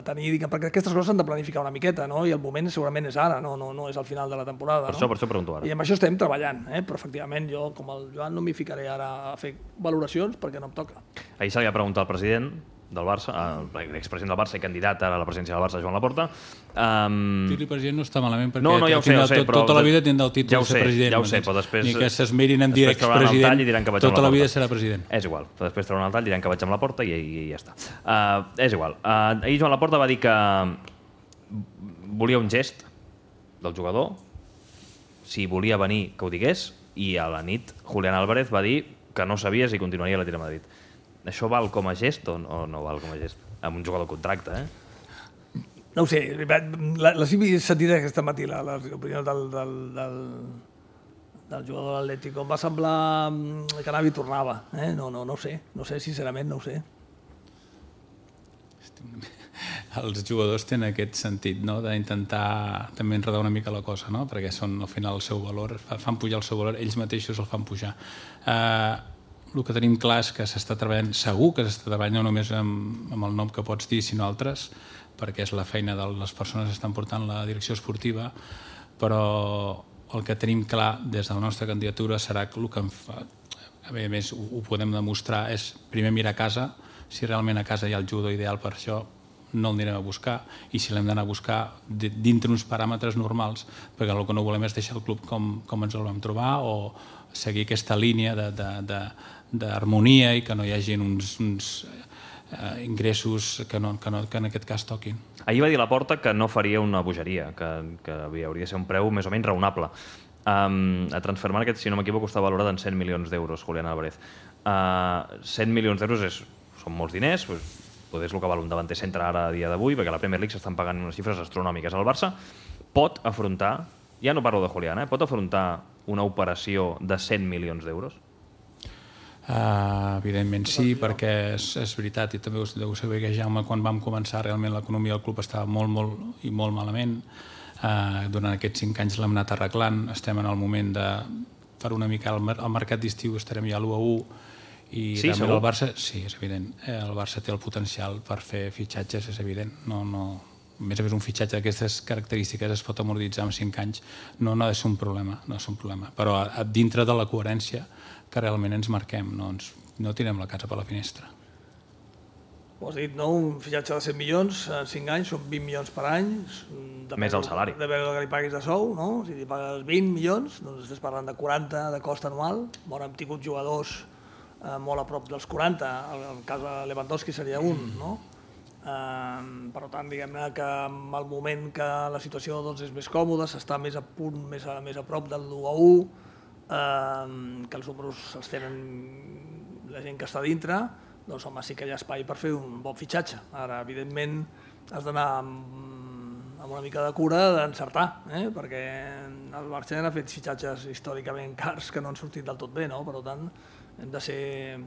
Speaker 6: tenir, perquè aquestes coses s'han de planificar una miqueta, no? I el moment segurament és ara, no és al final de la temporada.
Speaker 3: Per això pregunto ara.
Speaker 6: I amb això estem treballant, però efectivament jo, com el Joan, no m'hi ficaré ara a fer valoracions perquè no em toca.
Speaker 3: Ahir se li va preguntar al president del Barça, l'expresident del Barça i candidat ara a la presidència del Barça, Joan Laporta.
Speaker 5: Dir-li president no està malament perquè
Speaker 3: ja ho sé,
Speaker 5: tota la vida tindrà el títol de ser president.
Speaker 3: Ja ho sé, però després...
Speaker 5: Ni que s'esmerin en dir expresident, tota la vida serà president.
Speaker 3: És igual, però després trauran el tall, diran que vaig amb Laporta i ja està. És igual. Ahir Joan Laporta va dir que volia un gest del jugador, si volia venir que ho digués, i a la nit Julián Álvarez va dir que no sabia si continuaria a l'Atlètic de Madrid. Això val com a gest o no val com a gest? Amb un jugador contracte,
Speaker 6: No ho sé, la he sentit aquesta matí, l'opinió del jugador de l'Atlético. Em va semblar que anava i tornava. No ho sé, sincerament no ho sé.
Speaker 5: Els jugadors tenen aquest sentit, no?, d'intentar també enredar una mica la cosa, no?, perquè són al final el seu valor, fan pujar el seu valor, ells mateixos el fan pujar. El que tenim clar és que s'està treballant, segur que s'està treballant no només amb el nom que pots dir, sinó altres, perquè és la feina de les persones que estan portant la direcció esportiva, però el que tenim clar des de la nostra candidatura serà que el que a més ho podem demostrar és primer mirar a casa, si realment a casa hi ha el jugador ideal per això, no el anirem a buscar, i si l'hem d'anar a buscar dintre uns paràmetres normals, perquè el que no volem és deixar el club com ens el vam trobar o seguir aquesta línia d'harmonia i que no hi hagi uns ingressos que en aquest cas toquin.
Speaker 3: Ahir va dir Laporta que no faria una bogeria, que hauria de ser un preu més o menys raonable. A Transfermarkt, si no m'equivoco, està valorat en 100 milions d'euros, Julián Álvarez. 100 milions d'euros són molts diners, potser és el que val un davanter centre ara a dia d'avui, perquè a la Premier League s'estan pagant unes xifres astronòmiques. El Barça pot afrontar, ja no parlo de Julián, pot afrontar una operació de 100 milions d'euros?
Speaker 5: Evidentment sí, perquè és veritat, i també deu saber que Jaume, quan vam començar realment l'economia del club estava molt malament. Durant aquests 5 anys l'hem anat arreglant, estem en el moment de fer una mica al mercat d'estiu, estarem ja a l'1-1, i
Speaker 3: sí,
Speaker 5: el Barça, sí, és evident, el Barça té el potencial per fer fitxatges, és evident, a més a més un fitxatge d'aquestes característiques es pot amortitzar en 5 anys, no ha de ser un problema, però dintre de la coherència que realment ens marquem, no tirem la casa per la finestra.
Speaker 6: Ho has dit, no? Un fitxatge de 100 milions en 5 anys, són 20 milions per any.
Speaker 3: Més el salari.
Speaker 6: Depèn del que li paguis de sou, no? Si li pagues 20 milions, doncs estàs parlant de 40 de cost anual. Hem tingut jugadors molt a prop dels 40, el cas de Lewandowski seria un, no? Per tant, diguem-ne que en el moment que la situació és més còmoda, s'està més a punt, més a prop del 1-1, que els números els tenen la gent que està dintre, doncs home, sí que hi ha espai per fer un bon fitxatge. Ara, evidentment, has d'anar amb una mica de cura d'encertar, perquè el Barça ha fet fitxatges històricament cars que no han sortit del tot bé, no? Per tant, hem de ser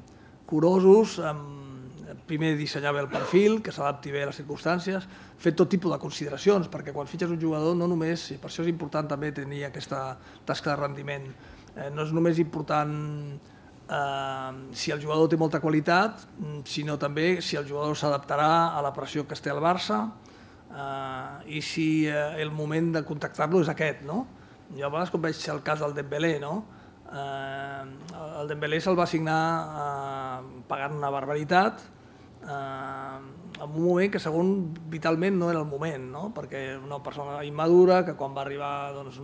Speaker 6: curosos, primer dissenyar bé el perfil, que s'adapti bé a les circumstàncies, fer tot tipus de consideracions, perquè quan fitxes un jugador no només, i per això és important també tenir aquesta tasca de rendiment, no és només important si el jugador té molta qualitat, sinó també si el jugador s'adaptarà a la pressió que es té al Barça i si el moment de contactar-lo és aquest, no? Jo a vegades quan veig el cas del Dembélé, no? El Dembélé se'l va assignar pagant una barbaritat en un moment que segons vitalment no era el moment, no? Perquè una persona immadura que quan va arribar no es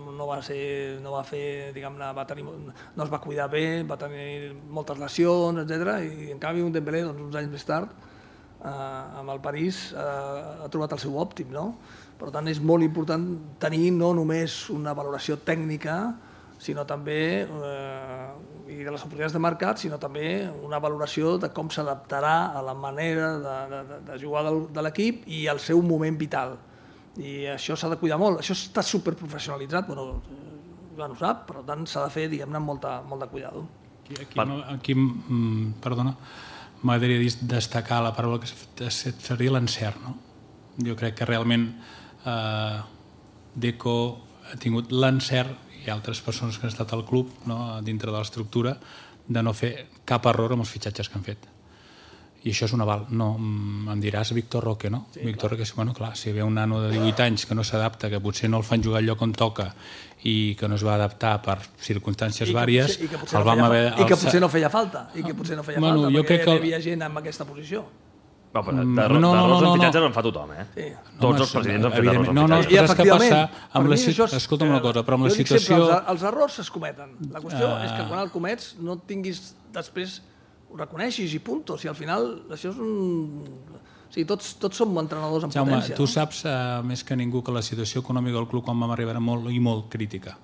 Speaker 6: va cuidar bé, va tenir moltes lesions, etc. I en canvi un Dembélé uns anys més tard amb el París ha trobat el seu òptim, no? Per tant, és molt important tenir no només una valoració tècnica, sinó també, i de les oportunitats de mercat, sinó també una valoració de com s'adaptarà a la manera de jugar de l'equip i al seu moment vital. I això s'ha de cuidar molt. Això està superprofessionalitzat, bueno, ja no ho sap, per tant s'ha de fer, diguem-ne, amb molt de cuidado.
Speaker 5: Aquí perdona, m'agradaria destacar la paraula que seria l'encert, no? Jo crec que realment Deco ha tingut l'encert, i altres persones que han estat al club, no, dintre de l'estructura, de no fer cap error amb els fitxatges que han fet. I això és un aval. No, em diràs Víctor Roque, no? Sí, Víctor Roque, bueno, clar, si ve un nano de 18 anys que no s'adapta, que potser no el fan jugar al lloc on toca i que no es va adaptar per circumstàncies vàries, el vam haver...
Speaker 6: I que potser no feia falta, perquè hi havia gent en aquesta posició.
Speaker 3: D'errors en fitxatges en fa tothom, eh? Tots els presidents han fet errors en fitxatges.
Speaker 6: I efectivament,
Speaker 5: escolta'm una cosa, però amb la situació...
Speaker 6: Els errors es cometen. La qüestió és que quan el comets no tinguis després, ho reconeixis i punto. Si al final això és un... O sigui, tots som entrenadors en potència.
Speaker 5: Tu saps més que ningú que la situació econòmica del club quan vam arribar era molt crítica.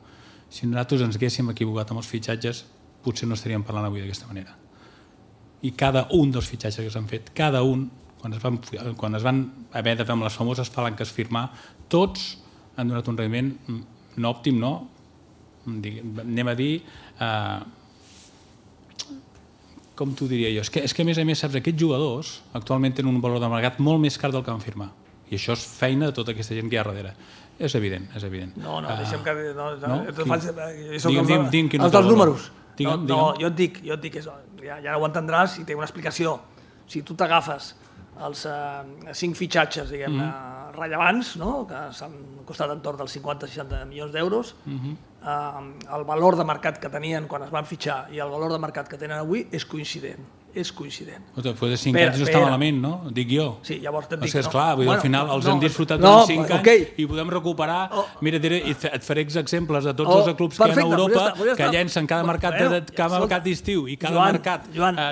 Speaker 5: Si nosaltres ens haguéssim equivocat amb els fitxatges, potser no estaríem parlant avui d'aquesta manera. I cada un dels fitxatges que s'han fet, cada un, quan es van haver de fer amb les famoses palanques firmar, tots han donat un rendiment no òptim, no, anem a dir, com t'ho diria jo, és que a més, saps, aquests jugadors actualment tenen un valor de mercat molt més car del que van firmar, i això és feina de tota aquesta gent que hi ha darrere. És evident.
Speaker 6: No, deixem que...
Speaker 5: Digue'm
Speaker 6: els dels números. No, jo et dic, ja ho entendràs i té una explicació. Si tu t'agafes els 5 fitxatges, diguem-ne, rellevants, que s'han costat entorn dels 50-60 milions d'euros, el valor de mercat que tenien quan es van fitxar i el valor de mercat que tenen avui és coincident.
Speaker 5: Després de 5 anys no està malament, no? Dic jo.
Speaker 6: Sí, llavors et dic...
Speaker 5: Esclar, al final els hem disfrutat durant 5 anys i podem recuperar... Mira, et faré exemples de tots els clubs que hi ha a Europa que llencen cada mercat d'estiu i cada mercat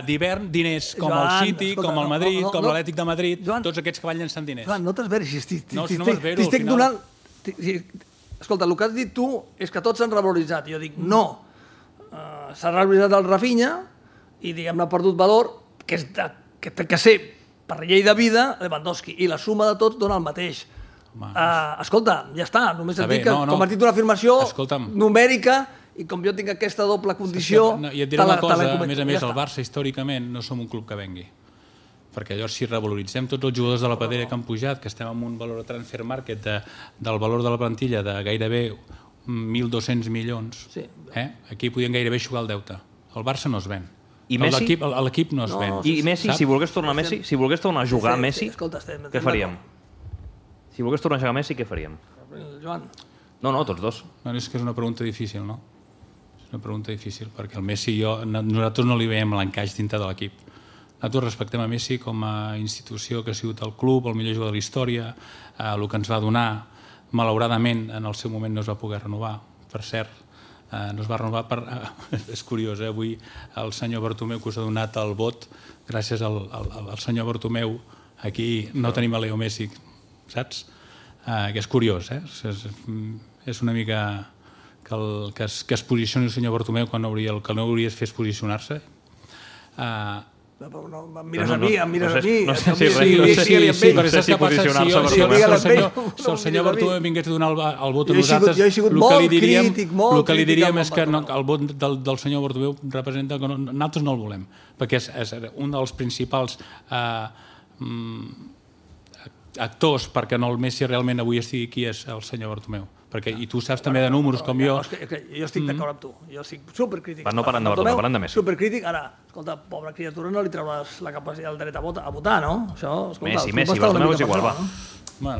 Speaker 5: d'hivern diners, com el City, com el Madrid, com l'Atlètic de Madrid, tots aquests que van llençant diners.
Speaker 6: Joan, no t'esveris,
Speaker 5: no m'esvero,
Speaker 6: t'estic donant... Escolta, el que has dit tu és que tots s'han revaloritzat. Jo dic, no. S'ha revaloritzat el Rafinha i, diguem-ne, ha perdut valor, que té que ser, per llei de vida, Lewandowski. I la suma de tots dona el mateix. Escolta, ja està. Només et dic que, com has dit una afirmació numèrica, i com jo tinc aquesta doble condició...
Speaker 5: I et diré una cosa, a més, el Barça, històricament, no som un club que vengui. Perquè llavors, si revaloritzem tots els jugadors de la pedrera que han pujat, que estem amb un valor de transfer market del valor de la plantilla de gairebé 1.200 milions, aquí podien gairebé jugar el deute. El Barça no es ven.
Speaker 3: I Messi?
Speaker 5: L'equip no es ven.
Speaker 3: I Messi, si volgués tornar a jugar Messi, què faríem? Si volgués tornar a jugar Messi, què faríem?
Speaker 6: Joan?
Speaker 3: No, tots dos.
Speaker 5: És que és una pregunta difícil, no? És una pregunta difícil, perquè el Messi i jo, nosaltres no li veiem l'encaix dintre de l'equip. Nosaltres respectem a Messi com a institució que ha sigut el club, el millor jugador de la història, el que ens va donar, malauradament, en el seu moment no es va poder renovar, per cert, no es va renovar per... És curiós, avui el senyor Bartomeu que us ha donat el vot, gràcies al senyor Bartomeu, aquí no tenim a Leo Messi, saps? Que és curiós, és una mica que es posicioni el senyor Bartomeu quan el que no hauria de fer és posicionar-se.
Speaker 6: Em mires a mi,
Speaker 3: no sé si posicionar-se
Speaker 5: si el senyor Bartomeu vingués a donar el vot a nosaltres, el que li diríem és que el vot del senyor Bartomeu representa que nosaltres no el volem, perquè és un dels principals actors perquè el Messi realment avui estigui aquí és el senyor Bartomeu. I tu saps també de números com jo.
Speaker 6: Jo estic d'acord amb tu, jo estic supercrític.
Speaker 3: No parlant de Bartomeu, parlant de Messi.
Speaker 6: Supercrític, ara, escolta, pobra criatura, no li trauràs la capacitat, el dret a votar, no?
Speaker 3: Messi, Bartomeu és igual, va.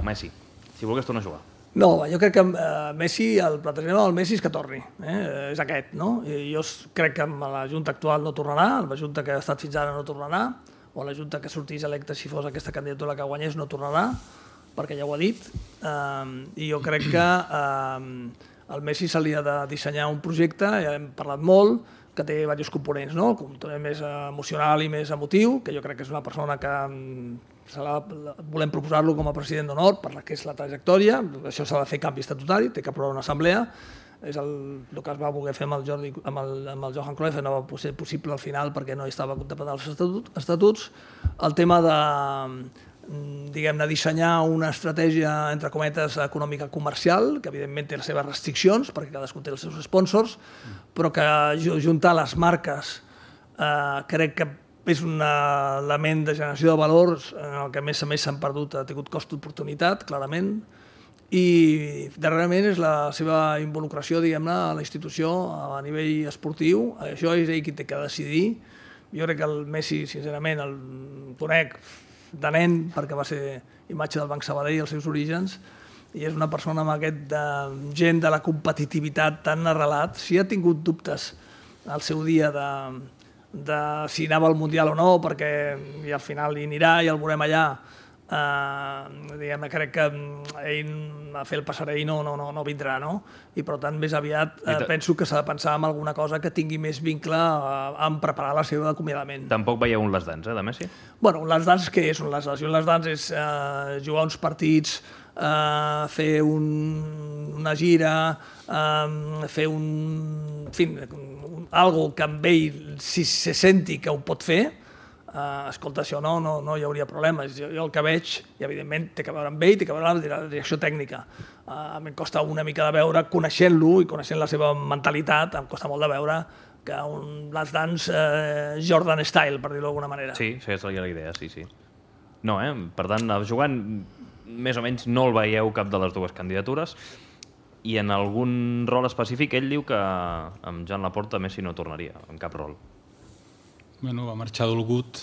Speaker 3: Messi, si volgués tornar a jugar.
Speaker 6: No, jo crec que Messi, el plantejament del Messi és que torni, és aquest, no? Jo crec que amb la Junta actual no tornarà, la Junta que ha estat fins ara no tornarà, o la Junta que sortís electa si fos aquesta candidatura que guanyés no tornarà, perquè ja ho ha dit, i jo crec que al Messi se li ha de dissenyar un projecte, ja hem parlat molt, que té diversos components, no? El component més emocional i més emotiu, que jo crec que és una persona que volem proposar-lo com a president d'honor per la que és la trajectòria. Això s'ha de fer canvi estatutari, té que aprovar una assemblea. És el que es va voler fer amb el Johan Cruyff, no va ser possible al final perquè no hi estava contemplat als estatuts. El tema de, diguem-ne, dissenyar una estratègia, entre cometes, econòmica comercial, que evidentment té les seves restriccions, perquè cadascú té els seus sponsors, però que juntar les marques crec que és un element de generació de valors en el que a més s'han perdut, ha tingut cost d'oportunitat, clarament, i darrerament és la seva involucració, diguem-ne, a la institució a nivell esportiu. Això és ell qui té que decidir. Jo crec que el Messi, sincerament, el conec de nen, perquè va ser imatge del Banc Sabadell als seus orígens, i és una persona amb aquest gent de la competitivitat tan arrelat. Si ha tingut dubtes al seu dia de si anava al Mundial o no, perquè al final hi anirà i el veurem allà, diguem-ne, crec que ell a fer el passarell no vindrà, no? I per tant més aviat penso que s'ha de pensar en alguna cosa que tingui més vincle en preparar la seva acomiadament.
Speaker 3: Tampoc veieu un Last Dance, de Messi?
Speaker 6: Bueno, un Last Dance què és un Last Dance? Un Last Dance és jugar uns partits, fer una gira, fer algo que amb ell si se senti que ho pot fer. Escolta, això no hi hauria problemes. Jo el que veig, i evidentment té que veure amb ell, té que veure amb la direcció tècnica. A mi em costa una mica de veure, coneixent-lo i coneixent la seva mentalitat, em costa molt de veure que un Last Dance Jordan Style, per dir-ho d'alguna manera.
Speaker 3: Sí, seria la idea, sí. No, per tant, jugant més o menys no el veieu cap de les dues candidatures, i en algun rol específic ell diu que amb Joan Laporta Messi no tornaria, en cap rol.
Speaker 5: Bueno, va marxar dolgut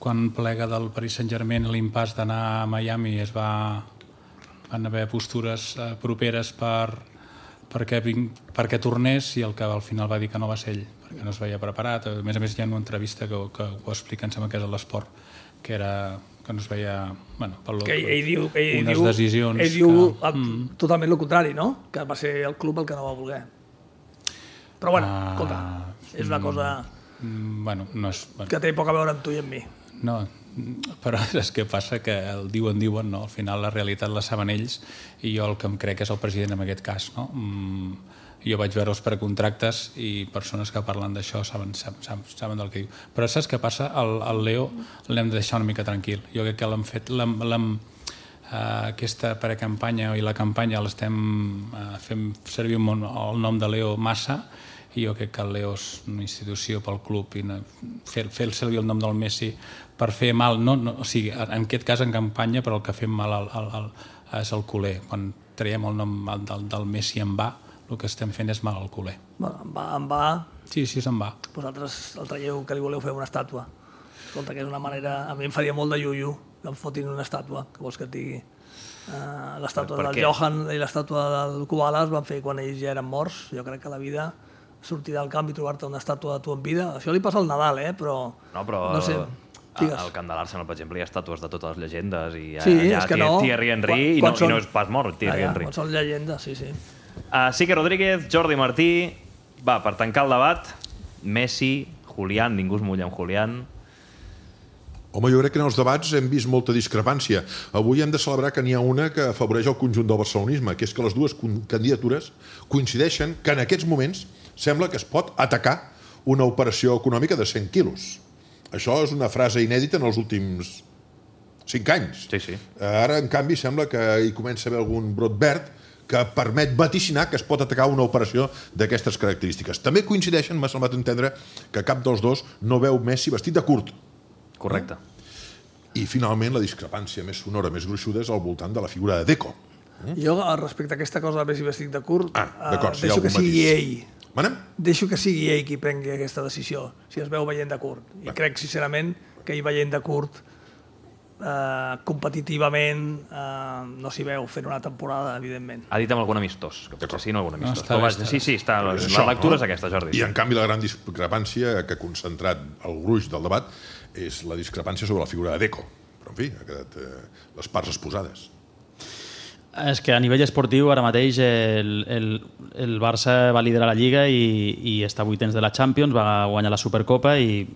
Speaker 5: quan plega del Paris Saint-Germain l'impàs d'anar a Miami. Van haver postures properes perquè tornés, i el que al final va dir que no va ser ell, perquè no es veia preparat. A més hi ha una entrevista que ho explica, em sembla que és a l'Esport, que no es veia... unes decisions...
Speaker 6: Ell diu totalment el contrari, no? Que va ser el club el que no va voler. Però bueno, escolta, és una cosa que té poc a veure amb tu i amb mi.
Speaker 5: No, però és que passa que el diuen, no? Al final la realitat la saben ells, i jo el que em crec és el president en aquest cas, no? Jo vaig veure els precontractes i persones que parlen d'això saben del que diu. Però saps què passa? El Leo l'hem de deixar una mica tranquil. Jo crec que l'hem fet... aquesta precampanya i la campanya l'estem fent servir el nom de Leo massa, i jo crec que el Leo és una institució pel club, i fer servir el nom del Messi per fer mal, o sigui, en aquest cas en campanya, però el que fem mal és el culer. Quan traiem el nom del Messi en va, el que estem fent és mal al culer.
Speaker 6: En va...
Speaker 5: Sí, se'n va.
Speaker 6: Vosaltres el traieu que li voleu fer una estàtua. Escolta, que és una manera... A mi em faria molt de iu-iu que em fotin una estàtua, que vols que et digui. L'estàtua del Johan i l'estàtua del Kubala es van fer quan ells ja eren morts. Jo crec que la vida... sortir del camp i trobar-te una estàtua de tu en vida. Això li passa al Nadal, però... No sé,
Speaker 3: al Camp de l'Arsenal, per exemple, hi ha estàtues de totes les llegendes, i
Speaker 6: allà
Speaker 3: Thierry Henry, i no és pas mort, Thierry Henry.
Speaker 6: Quan són llegendes, sí.
Speaker 3: Sique Rodríguez, Jordi Martí, va, per tancar el debat, Messi, Julián, ningú es mulla amb Julián.
Speaker 8: Home, jo crec que en els debats hem vist molta discrepància. Avui hem de celebrar que n'hi ha una que afavoreix el conjunt del barcelonisme, que és que les dues candidatures coincideixen que en aquests moments sembla que es pot atacar una operació econòmica de 100 quilos. Això és una frase inèdita en els últims 5 anys.
Speaker 3: Sí.
Speaker 8: Ara, en canvi, sembla que hi comença a haver algun brot verd que permet vaticinar que es pot atacar una operació d'aquestes característiques. També coincideixen, m'ha semblat entendre, que cap dels dos no veu Messi vestit de curt.
Speaker 3: Correcte.
Speaker 8: I, finalment, la discrepància més sonora, més gruixuda, és al voltant de la figura de Deco.
Speaker 6: Jo, respecte a aquesta cosa de Messi vestit de curt,
Speaker 8: deixo que sigui
Speaker 6: ell. Deixo que sigui ell qui prengui aquesta decisió, si es veu veient de curt. I crec, sincerament, que ell veient de curt, competitivament, no s'hi veu fent una temporada, evidentment.
Speaker 3: Ha dit amb algun amistós, que potser sí, no algun amistós. Sí, està. La lectura és aquesta, Jordi.
Speaker 8: I, en canvi, la gran discrepància que ha concentrat el gruix del debat és la discrepància sobre la figura de Deco. Però, en fi, ha quedat les parts exposades.
Speaker 2: És que a nivell esportiu ara mateix el Barça va liderar la Lliga i està a 8 de la Champions, va guanyar la Supercopa i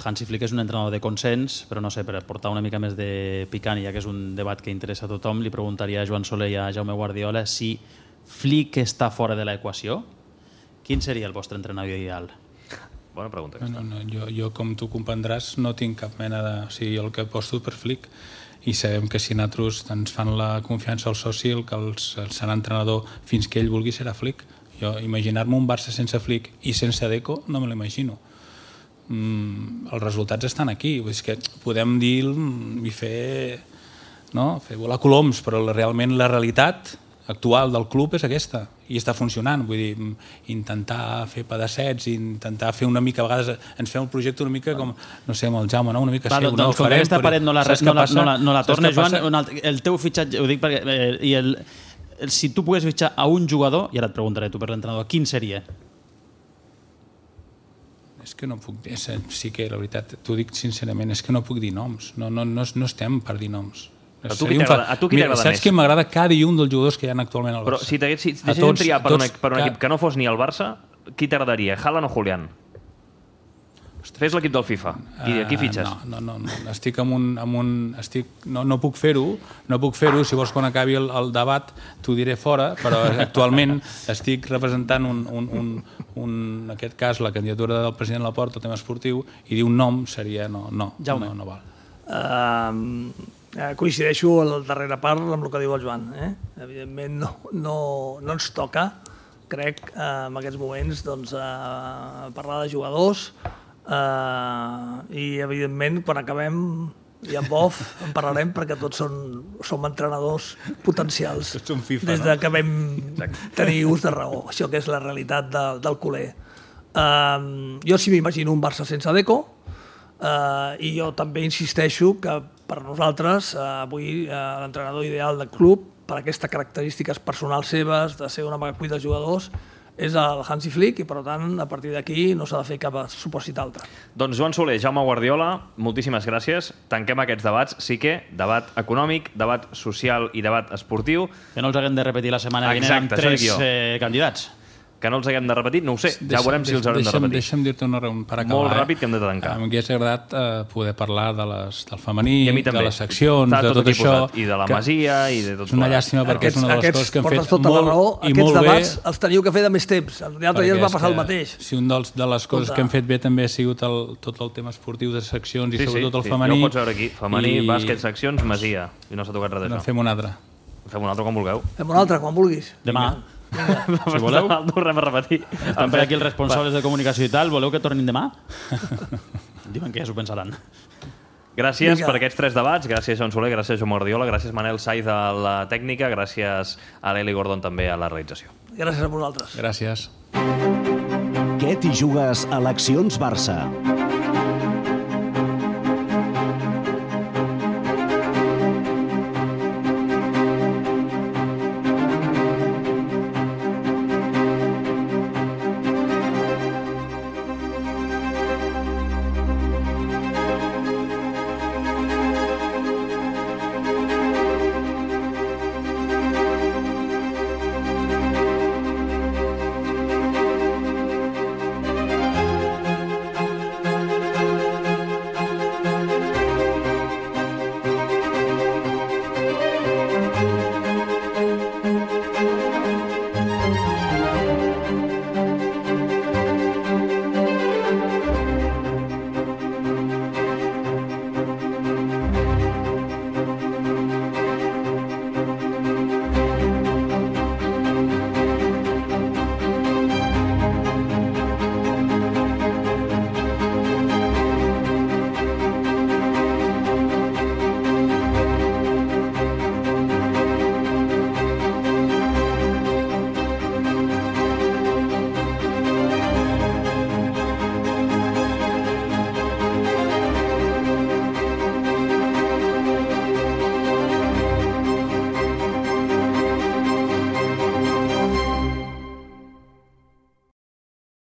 Speaker 2: Hansi Flick és un entrenador de consens, però no sé, per portar una mica més de picant, ja que és un debat que interessa a tothom, li preguntaria a Joan Soler i a Jaume Guardiola si Flick està fora de l'equació. Quin seria el vostre entrenador ideal?
Speaker 3: Bona pregunta.
Speaker 5: Jo, com tu comprendràs, no tinc cap mena de... O sigui, jo el que aposto per Flick, i sabem que si nosaltres ens fan la confiança al soci, el que serà entrenador fins que ell vulgui serà Flick. Jo imaginar-me un Barça sense Flick i sense Deco no me l'imagino. Els resultats estan aquí, vull dir que podem dir i fer volar coloms, però realment la realitat actual del club és aquesta i està funcionant, vull dir, intentar fer pedassets, intentar fer una mica, a vegades ens fem el projecte una mica com, no sé, amb el Jaume, no? Una mica sí, una
Speaker 2: doncs com que aquesta paret no la torna, Joan, el teu fitxatge, ho dic perquè si tu pogués fitxar a un jugador, i ara et preguntaré tu per l'entrenador, quin seria?
Speaker 5: És que no puc dir, sí que la veritat, t'ho dic sincerament, és que no puc dir noms, no estem per dir noms.
Speaker 3: A tu qui t'agrada més?
Speaker 5: Saps que m'agrada cada i un dels jugadors que hi ha actualment al Barça?
Speaker 3: Però si deixéssim triar per un equip que no fos ni el Barça, qui t'agradaria? Haaland o Julián? Fes l'equip del FIFA. I aquí fitxes.
Speaker 5: No. Estic no puc fer-ho. Si vols, quan acabi el debat, t'ho diré fora, però actualment estic representant en aquest cas, la candidatura del president Laporta, el tema esportiu, i dir un nom seria no val.
Speaker 6: Coincideixo a la darrera part amb el que diu el Joan. Evidentment no ens toca, crec, en aquests moments, parlar de jugadors i, evidentment, quan acabem i en off en parlarem perquè tots som entrenadors potencials des que vam tenir ús de raó. Això que és la realitat del culer. Jo sí m'imagino un Barça sense Deco i jo també insisteixo que per nosaltres avui l'entrenador ideal del club per aquestes característiques personals seves de ser una magacull dels jugadors és el Hansi Flick i per tant a partir d'aquí no s'ha de fer cap supòsit altre.
Speaker 3: Doncs Joan Soler, Jaume Guardiola, moltíssimes gràcies. Tanquem aquests debats. Sí que debat econòmic, debat social i debat esportiu.
Speaker 2: Que no els haguem de repetir la setmana vinent amb 3 candidats.
Speaker 3: Que no els haguem de repetir, no ho sé, ja veurem si els haurem de repetir.
Speaker 5: Deixa'm dir-te una raó per acabar.
Speaker 3: Molt ràpid, que hem de tancar.
Speaker 5: M'hauria agradat poder parlar del femení, de les seccions, de tot això.
Speaker 3: I de la Masia, i de tot.
Speaker 5: És una llàstima perquè és una de les coses que hem fet
Speaker 6: tota la raó. Aquests debats els teniu que fer de més temps. L'altre dia ens va passar el mateix.
Speaker 5: Si una de les coses que hem fet bé també ha sigut tot el tema esportiu de seccions i sobretot el femení.
Speaker 3: Ja ho pots veure aquí. Femení, bàsquet, seccions, Masia. I no s'ha tocat res d'això.
Speaker 5: Fem un altre.
Speaker 3: Fem un altre quan vulgueu.
Speaker 6: Fem un altre quan vulguis.
Speaker 2: Demà.
Speaker 3: Si voleu, el tornem a repetir.
Speaker 2: Estan per aquí els responsables de comunicació i tal. Voleu que tornin demà? Diuen que ja s'ho pensaran.
Speaker 3: Gràcies per aquests 3 debats. Gràcies, Joan Soler, gràcies, Joan Guardiola, gràcies, Manel Saiz, a la tècnica, gràcies a l'Eli Gordon també a la realització.
Speaker 6: Gràcies a vosaltres.
Speaker 5: Gràcies.
Speaker 4: Què t'hi jugues a l'Accions Barça?